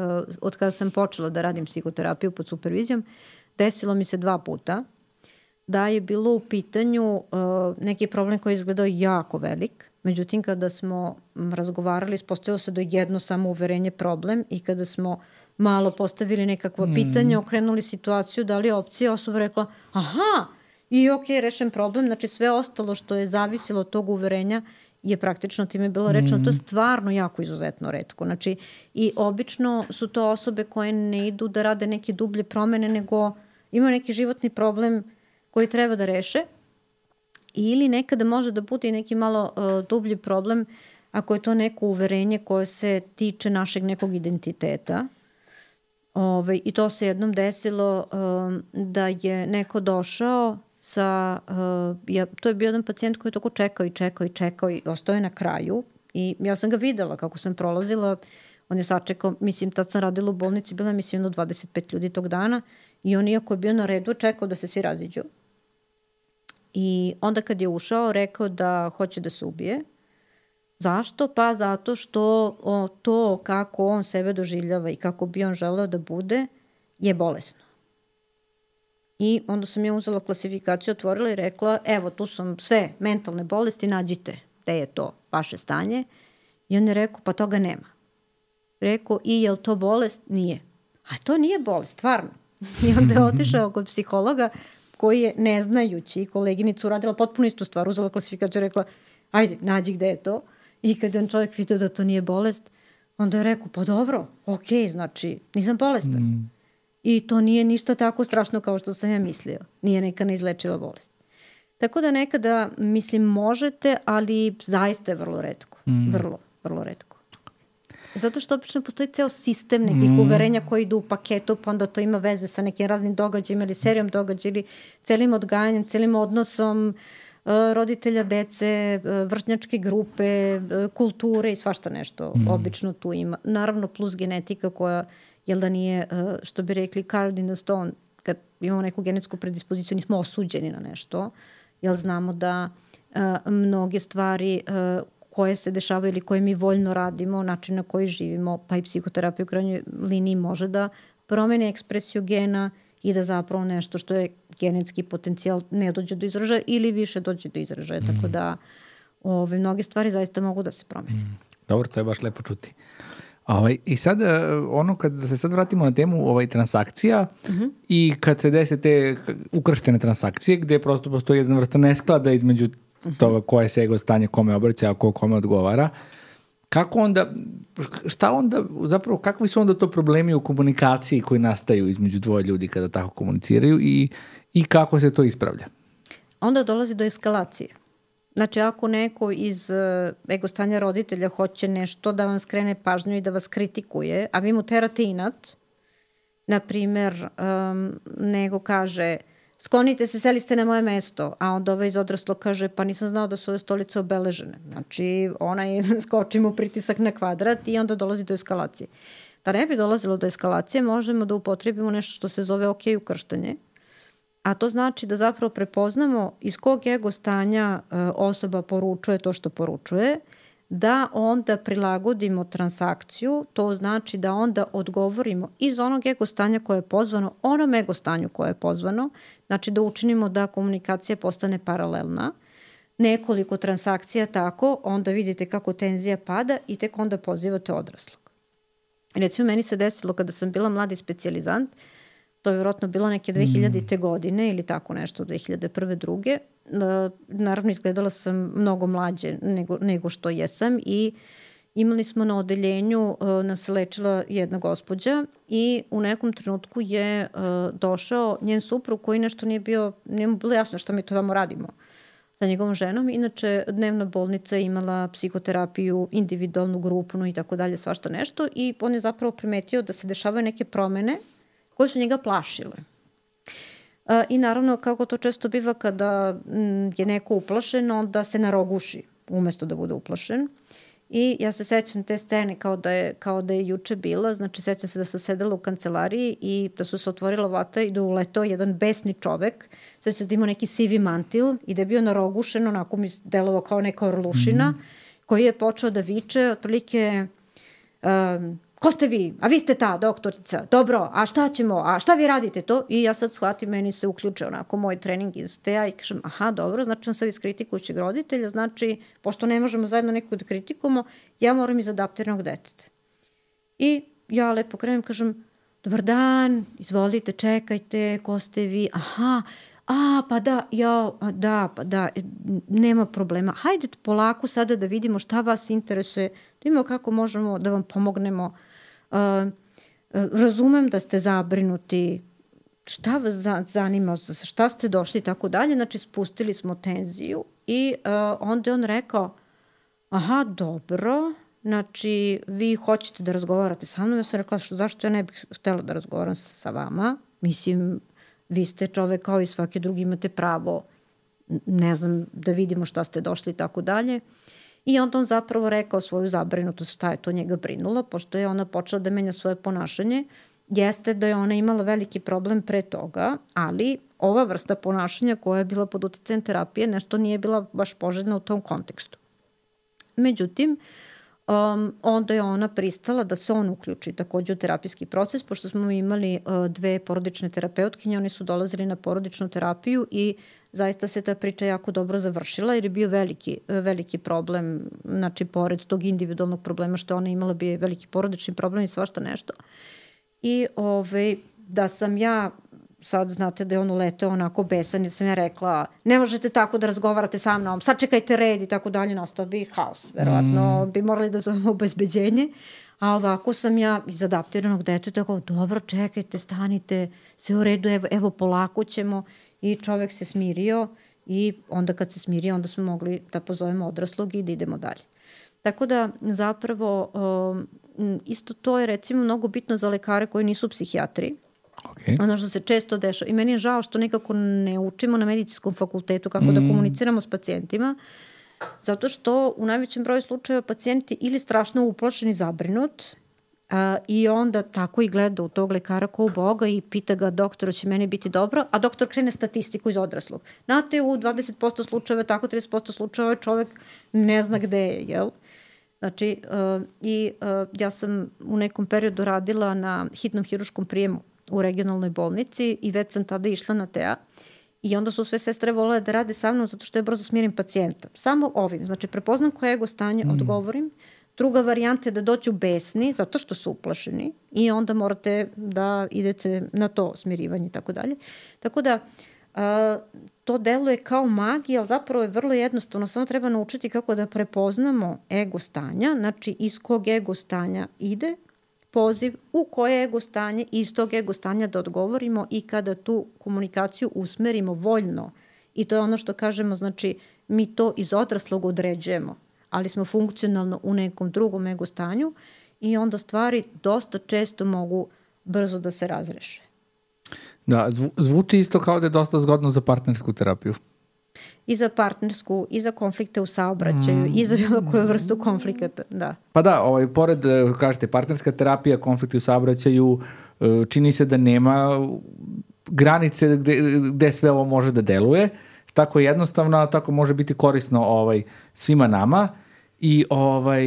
od kada sam počela da radim psihoterapiju pod supervizijom, desilo mi se dva puta da je bilo u pitanju neki problem koji je izgledao jako velik. Međutim, kada smo razgovarali, ispostavilo se da je jedno samo uverenje problem i kada smo malo postavili nekakva mm. pitanja, okrenuli situaciju, dali opcije, osoba rekla, aha, i ok, rešen problem, znači sve ostalo što je zavisilo od tog uverenja je praktično time bilo rečeno, mm. to je stvarno jako izuzetno retko. Znači, i obično su to osobe koje ne idu da rade neke dublje promene, nego imaju neki životni problem koji treba da reše, ili nekada može da bude i neki malo uh, dublji problem ako je to neko uverenje koje se tiče našeg nekog identiteta. Ove, I to se jednom desilo um, da je neko došao sa, uh, ja, to je bio jedan pacijent koji je tako čekao i čekao i čekao i ostao je na kraju i ja sam ga videla kako sam prolazila, on je sačekao, mislim tad sam radila u bolnici, bila mislim jedno dvadeset pet ljudi tog dana i on iako je bio na redu čekao da se svi raziđu. I onda kad je ušao, rekao da hoće da se ubije. Zašto? Pa zato što o, to kako on sebe doživljava i kako bi on želeo da bude je bolesno. I onda sam ja uzela klasifikaciju, otvorila i rekla, evo tu su sve mentalne bolesti, nađite gde je to vaše stanje. I on je rekao, pa toga nema. Rekao, i je li to bolest? Nije. A to nije bolest, stvarno. I onda je otišao kod psihologa koji je ne znajući koleginicu uradila potpuno istu stvar, uzela klasifikaciju i rekla, ajde, nađi gde je to. I kada je čovjek vidio da to nije bolest, onda je rekao, pa dobro, okej, okay, znači, nisam bolestan. Mm. I to nije ništa tako strašno kao što sam ja mislio. Nije neka neizlečiva bolest. Tako da nekada, mislim, možete, ali zaista je vrlo retko. Mm. Vrlo, vrlo retko. Zato što obično postoji ceo sistem nekih mm. uverenja koji idu u paketu, pa onda to ima veze sa nekim raznim događajima ili serijom događaja ili celim odgajanjem, celim odnosom uh, roditelja, dece, uh, vršnjačke grupe, uh, kulture i svašta nešto. Mm. Obično tu ima. Naravno plus genetika koja, jel da nije, uh, što bi rekli, carved in the stone, kad imamo neku genetsku predispoziciju, nismo osuđeni na nešto, jel znamo da uh, mnoge stvari uh, koje se dešavaju ili koje mi voljno radimo, način na koji živimo, pa i psihoterapija u krajnjoj liniji može da promeni ekspresiju gena i da zapravo nešto što je genetski potencijal ne dođe do izražaja ili više dođe do izražaja. Mm. Tako da ove, mnoge stvari zaista mogu da se promene. Mm. Dobro, to je baš lepo čuti. Ovaj, I sad, ono, kad da se sad vratimo na temu ovaj, transakcija mm-hmm. i kad se dese te ukrštene transakcije, gde prosto postoji jedna vrsta nesklada između toga koje se ego stanje kome obraća, a ko kome odgovara. Kako onda, šta onda, zapravo, kakvi su onda to problemi u komunikaciji koji nastaju između dvoje ljudi kada tako komuniciraju i, i kako se to ispravlja? Onda dolazi do eskalacije. Znači, ako neko iz uh, ego stanja roditelja hoće nešto da vam skrene pažnju i da vas kritikuje, a vi mu terate inat, na primer, um, nego kaže, sklonite se, seli ste na moje mesto, a onda ovaj iz odraslog kaže, pa nisam znao da su ove stolice obeležene. Znači, onaj skoči mu pritisak na kvadrat i onda dolazi do eskalacije. Da ne bi dolazilo do eskalacije, možemo da upotrebimo nešto što se zove ok ukrštanje, a to znači da zapravo prepoznamo iz kog ego stanja e, osoba poručuje to što poručuje, da onda prilagodimo transakciju, to znači da onda odgovorimo iz onog ego stanja koje je pozvano, onom ego stanju koje je pozvano, znači da učinimo da komunikacija postane paralelna, nekoliko transakcija tako, onda vidite kako tenzija pada i tek onda pozivate odraslog. Recimo, meni se desilo kada sam bila mladi specijalizant, to je vjerojatno bilo neke dve hiljadite godine ili tako nešto, dve hiljade prve. druge. Naravno, izgledala sam mnogo mlađe nego, nego što jesam i imali smo na odeljenju, uh, nas se lečila jedna gospođa i u nekom trenutku je uh, došao njen suprug koji nešto nije bio, nije mu bilo jasno šta mi to tamo radimo sa njegovom ženom. Inače, dnevna bolnica je imala psihoterapiju, individualnu, grupnu i tako dalje, svašta nešto i on je zapravo primetio da se dešavaju neke promene koje su njega plašile. Uh, I naravno, kako to često biva kada m, je neko uplašen, onda se naroguši umesto da bude uplašen. I ja se sećam te scene kao da je, kao da je juče bila, znači sećam se da sam sedela u kancelariji i da su se otvorila vrata i da uletao jedan besni čovek, sećam se da imao neki sivi mantil i da je bio narogušen, onako mi delovao kao neka orlušina, mm-hmm. koji je počeo da viče, otprilike, um, ko ste vi? A vi ste ta doktorica. Dobro, a šta ćemo? A šta vi radite to? I ja sad shvatim, meni se uključe onako moj trening iz te a i kažem, aha, dobro, znači on sad iz kritikujućeg roditelja, znači, pošto ne možemo zajedno nekog da kritikujemo, ja moram iz adaptiranog deteta. I ja lepo krenem, kažem, dobar dan, izvolite, čekajte, ko ste vi? Aha, a, pa da, ja, a, da, pa da, nema problema. Hajde polako sada da vidimo šta vas interesuje, da vidimo kako možemo da vam pomognemo. Uh, razumem da ste zabrinuti, šta vas zanima, šta ste došli i tako dalje. Znači, spustili smo tenziju i uh, onda je on rekao, aha, dobro, znači, vi hoćete da razgovarate sa mnom. Ja sam rekla, zašto ja ne bih htjela da razgovaram sa vama? Mislim, vi ste čovek kao i svaki drugi, imate pravo, ne znam, da vidimo šta ste došli i tako dalje. I onda on zapravo rekao svoju zabrinutost šta je to njega brinulo, pošto je ona počela da menja svoje ponašanje. Jeste da je ona imala veliki problem pre toga, ali ova vrsta ponašanja koja je bila pod uticajem terapije nešto nije bila baš poželjna u tom kontekstu. Međutim, um, onda je ona pristala da se on uključi takođe u terapijski proces, pošto smo imali uh, dve porodične terapeutkinje, oni su dolazili na porodičnu terapiju i zaista se ta priča jako dobro završila jer je bio veliki, veliki problem, znači pored tog individualnog problema što ona imala bio je veliki porodični problem i svašta nešto. I ove, da sam ja, sad znate da je on uleteo onako besan i sam ja rekla ne možete tako da razgovarate sa mnom, sad čekajte red i tako dalje, nastao bi haos. Verovatno mm. bi morali da zovemo obezbeđenje. A ovako sam ja iz adaptiranog deteta tako, dobro, čekajte, stanite, sve u redu, evo, evo polako ćemo. I čovek se smirio i onda kad se smirio, onda smo mogli da pozovemo odraslog i da idemo dalje. Tako da zapravo um, isto to je recimo mnogo bitno za lekare koji nisu psihijatri. Okay. Ono što se često dešava. I meni je žao što nekako ne učimo na medicinskom fakultetu kako mm. da komuniciramo s pacijentima, zato što u najvećem broju slučajeva pacijenti ili strašno uplašeni, zabrinut, Uh, i onda tako i gleda u tog lekara ko u Boga i pita ga, doktor, će meni biti dobro, a doktor krene statistiku iz odraslog. Znate, u dvadeset posto slučajeva, tako trideset posto slučajeva čovek ne zna gde je, jel? Znači, uh, i uh, ja sam u nekom periodu radila na hitnom hiruškom prijemu u regionalnoj bolnici i već sam tada išla na te a i onda su sve sestre volele da rade sa mnom zato što je brzo smirim pacijenta. Samo ovim, znači prepoznam koje ego stanje, mm. odgovorim. Druga varijanta je da doću besni zato što su uplašeni i onda morate da idete na to smirivanje i tako dalje. Tako da uh, to deluje kao magija, ali zapravo je vrlo jednostavno. Samo treba naučiti kako da prepoznamo ego stanja, znači iz kog ego stanja ide poziv, u koje ego stanje, iz tog ego stanja da odgovorimo i kada tu komunikaciju usmerimo voljno. I to je ono što kažemo, znači mi to iz odraslog određujemo, ali smo funkcionalno u nekom drugom ego stanju i onda stvari dosta često mogu brzo da se razreše. Da, zvu, zvuči isto kao da je dosta zgodno za partnersku terapiju. I za partnersku, i za konflikte u saobraćaju, mm. i za bilo koju vrstu konflikata, da. Pa da, ovaj, pored, kažete, partnerska terapija, konflikti u saobraćaju, čini se da nema granice gde, gde sve ovo može da deluje. Tako jednostavno, tako može biti korisno ovaj, svima nama. I ovaj,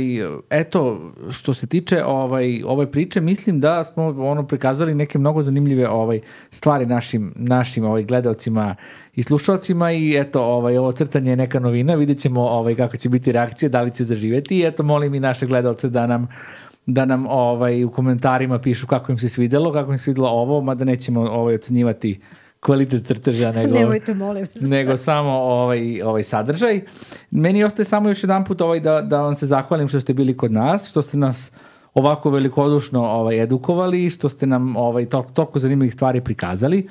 eto, što se tiče ovaj, ove priče, mislim da smo ono prikazali neke mnogo zanimljive ovaj, stvari našim, našim ovaj, gledalcima i slušalcima i eto, ovaj, ovo crtanje je neka novina, vidjet ćemo ovaj, kako će biti reakcije, da li će zaživeti i eto, molim i naše gledalce da nam da nam ovaj, u komentarima pišu kako im se svidelo, kako im se svidelo ovo, mada nećemo ovaj, ocenjivati kvalitet crteža, nego, Nemojte, molim vas. nego samo ovaj, ovaj sadržaj. Meni ostaje samo još jedan put ovaj da, da vam se zahvalim što ste bili kod nas, što ste nas ovako velikodušno ovaj, edukovali, što ste nam ovaj, to, toliko zanimljivih stvari prikazali,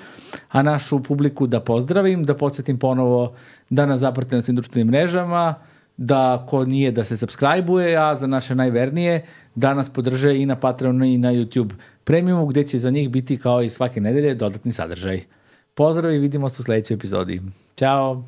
a našu publiku da pozdravim, da podsjetim ponovo da nas zapratite na svim društvenim mrežama, da ko nije da se subscribe-uje, a za naše najvernije da nas podrže i na Patreonu i na YouTube Premiumu, gde će za njih biti kao i svake nedelje dodatni sadržaj. Pozdrav i vidimo se u sledećoj epizodi. Ćao!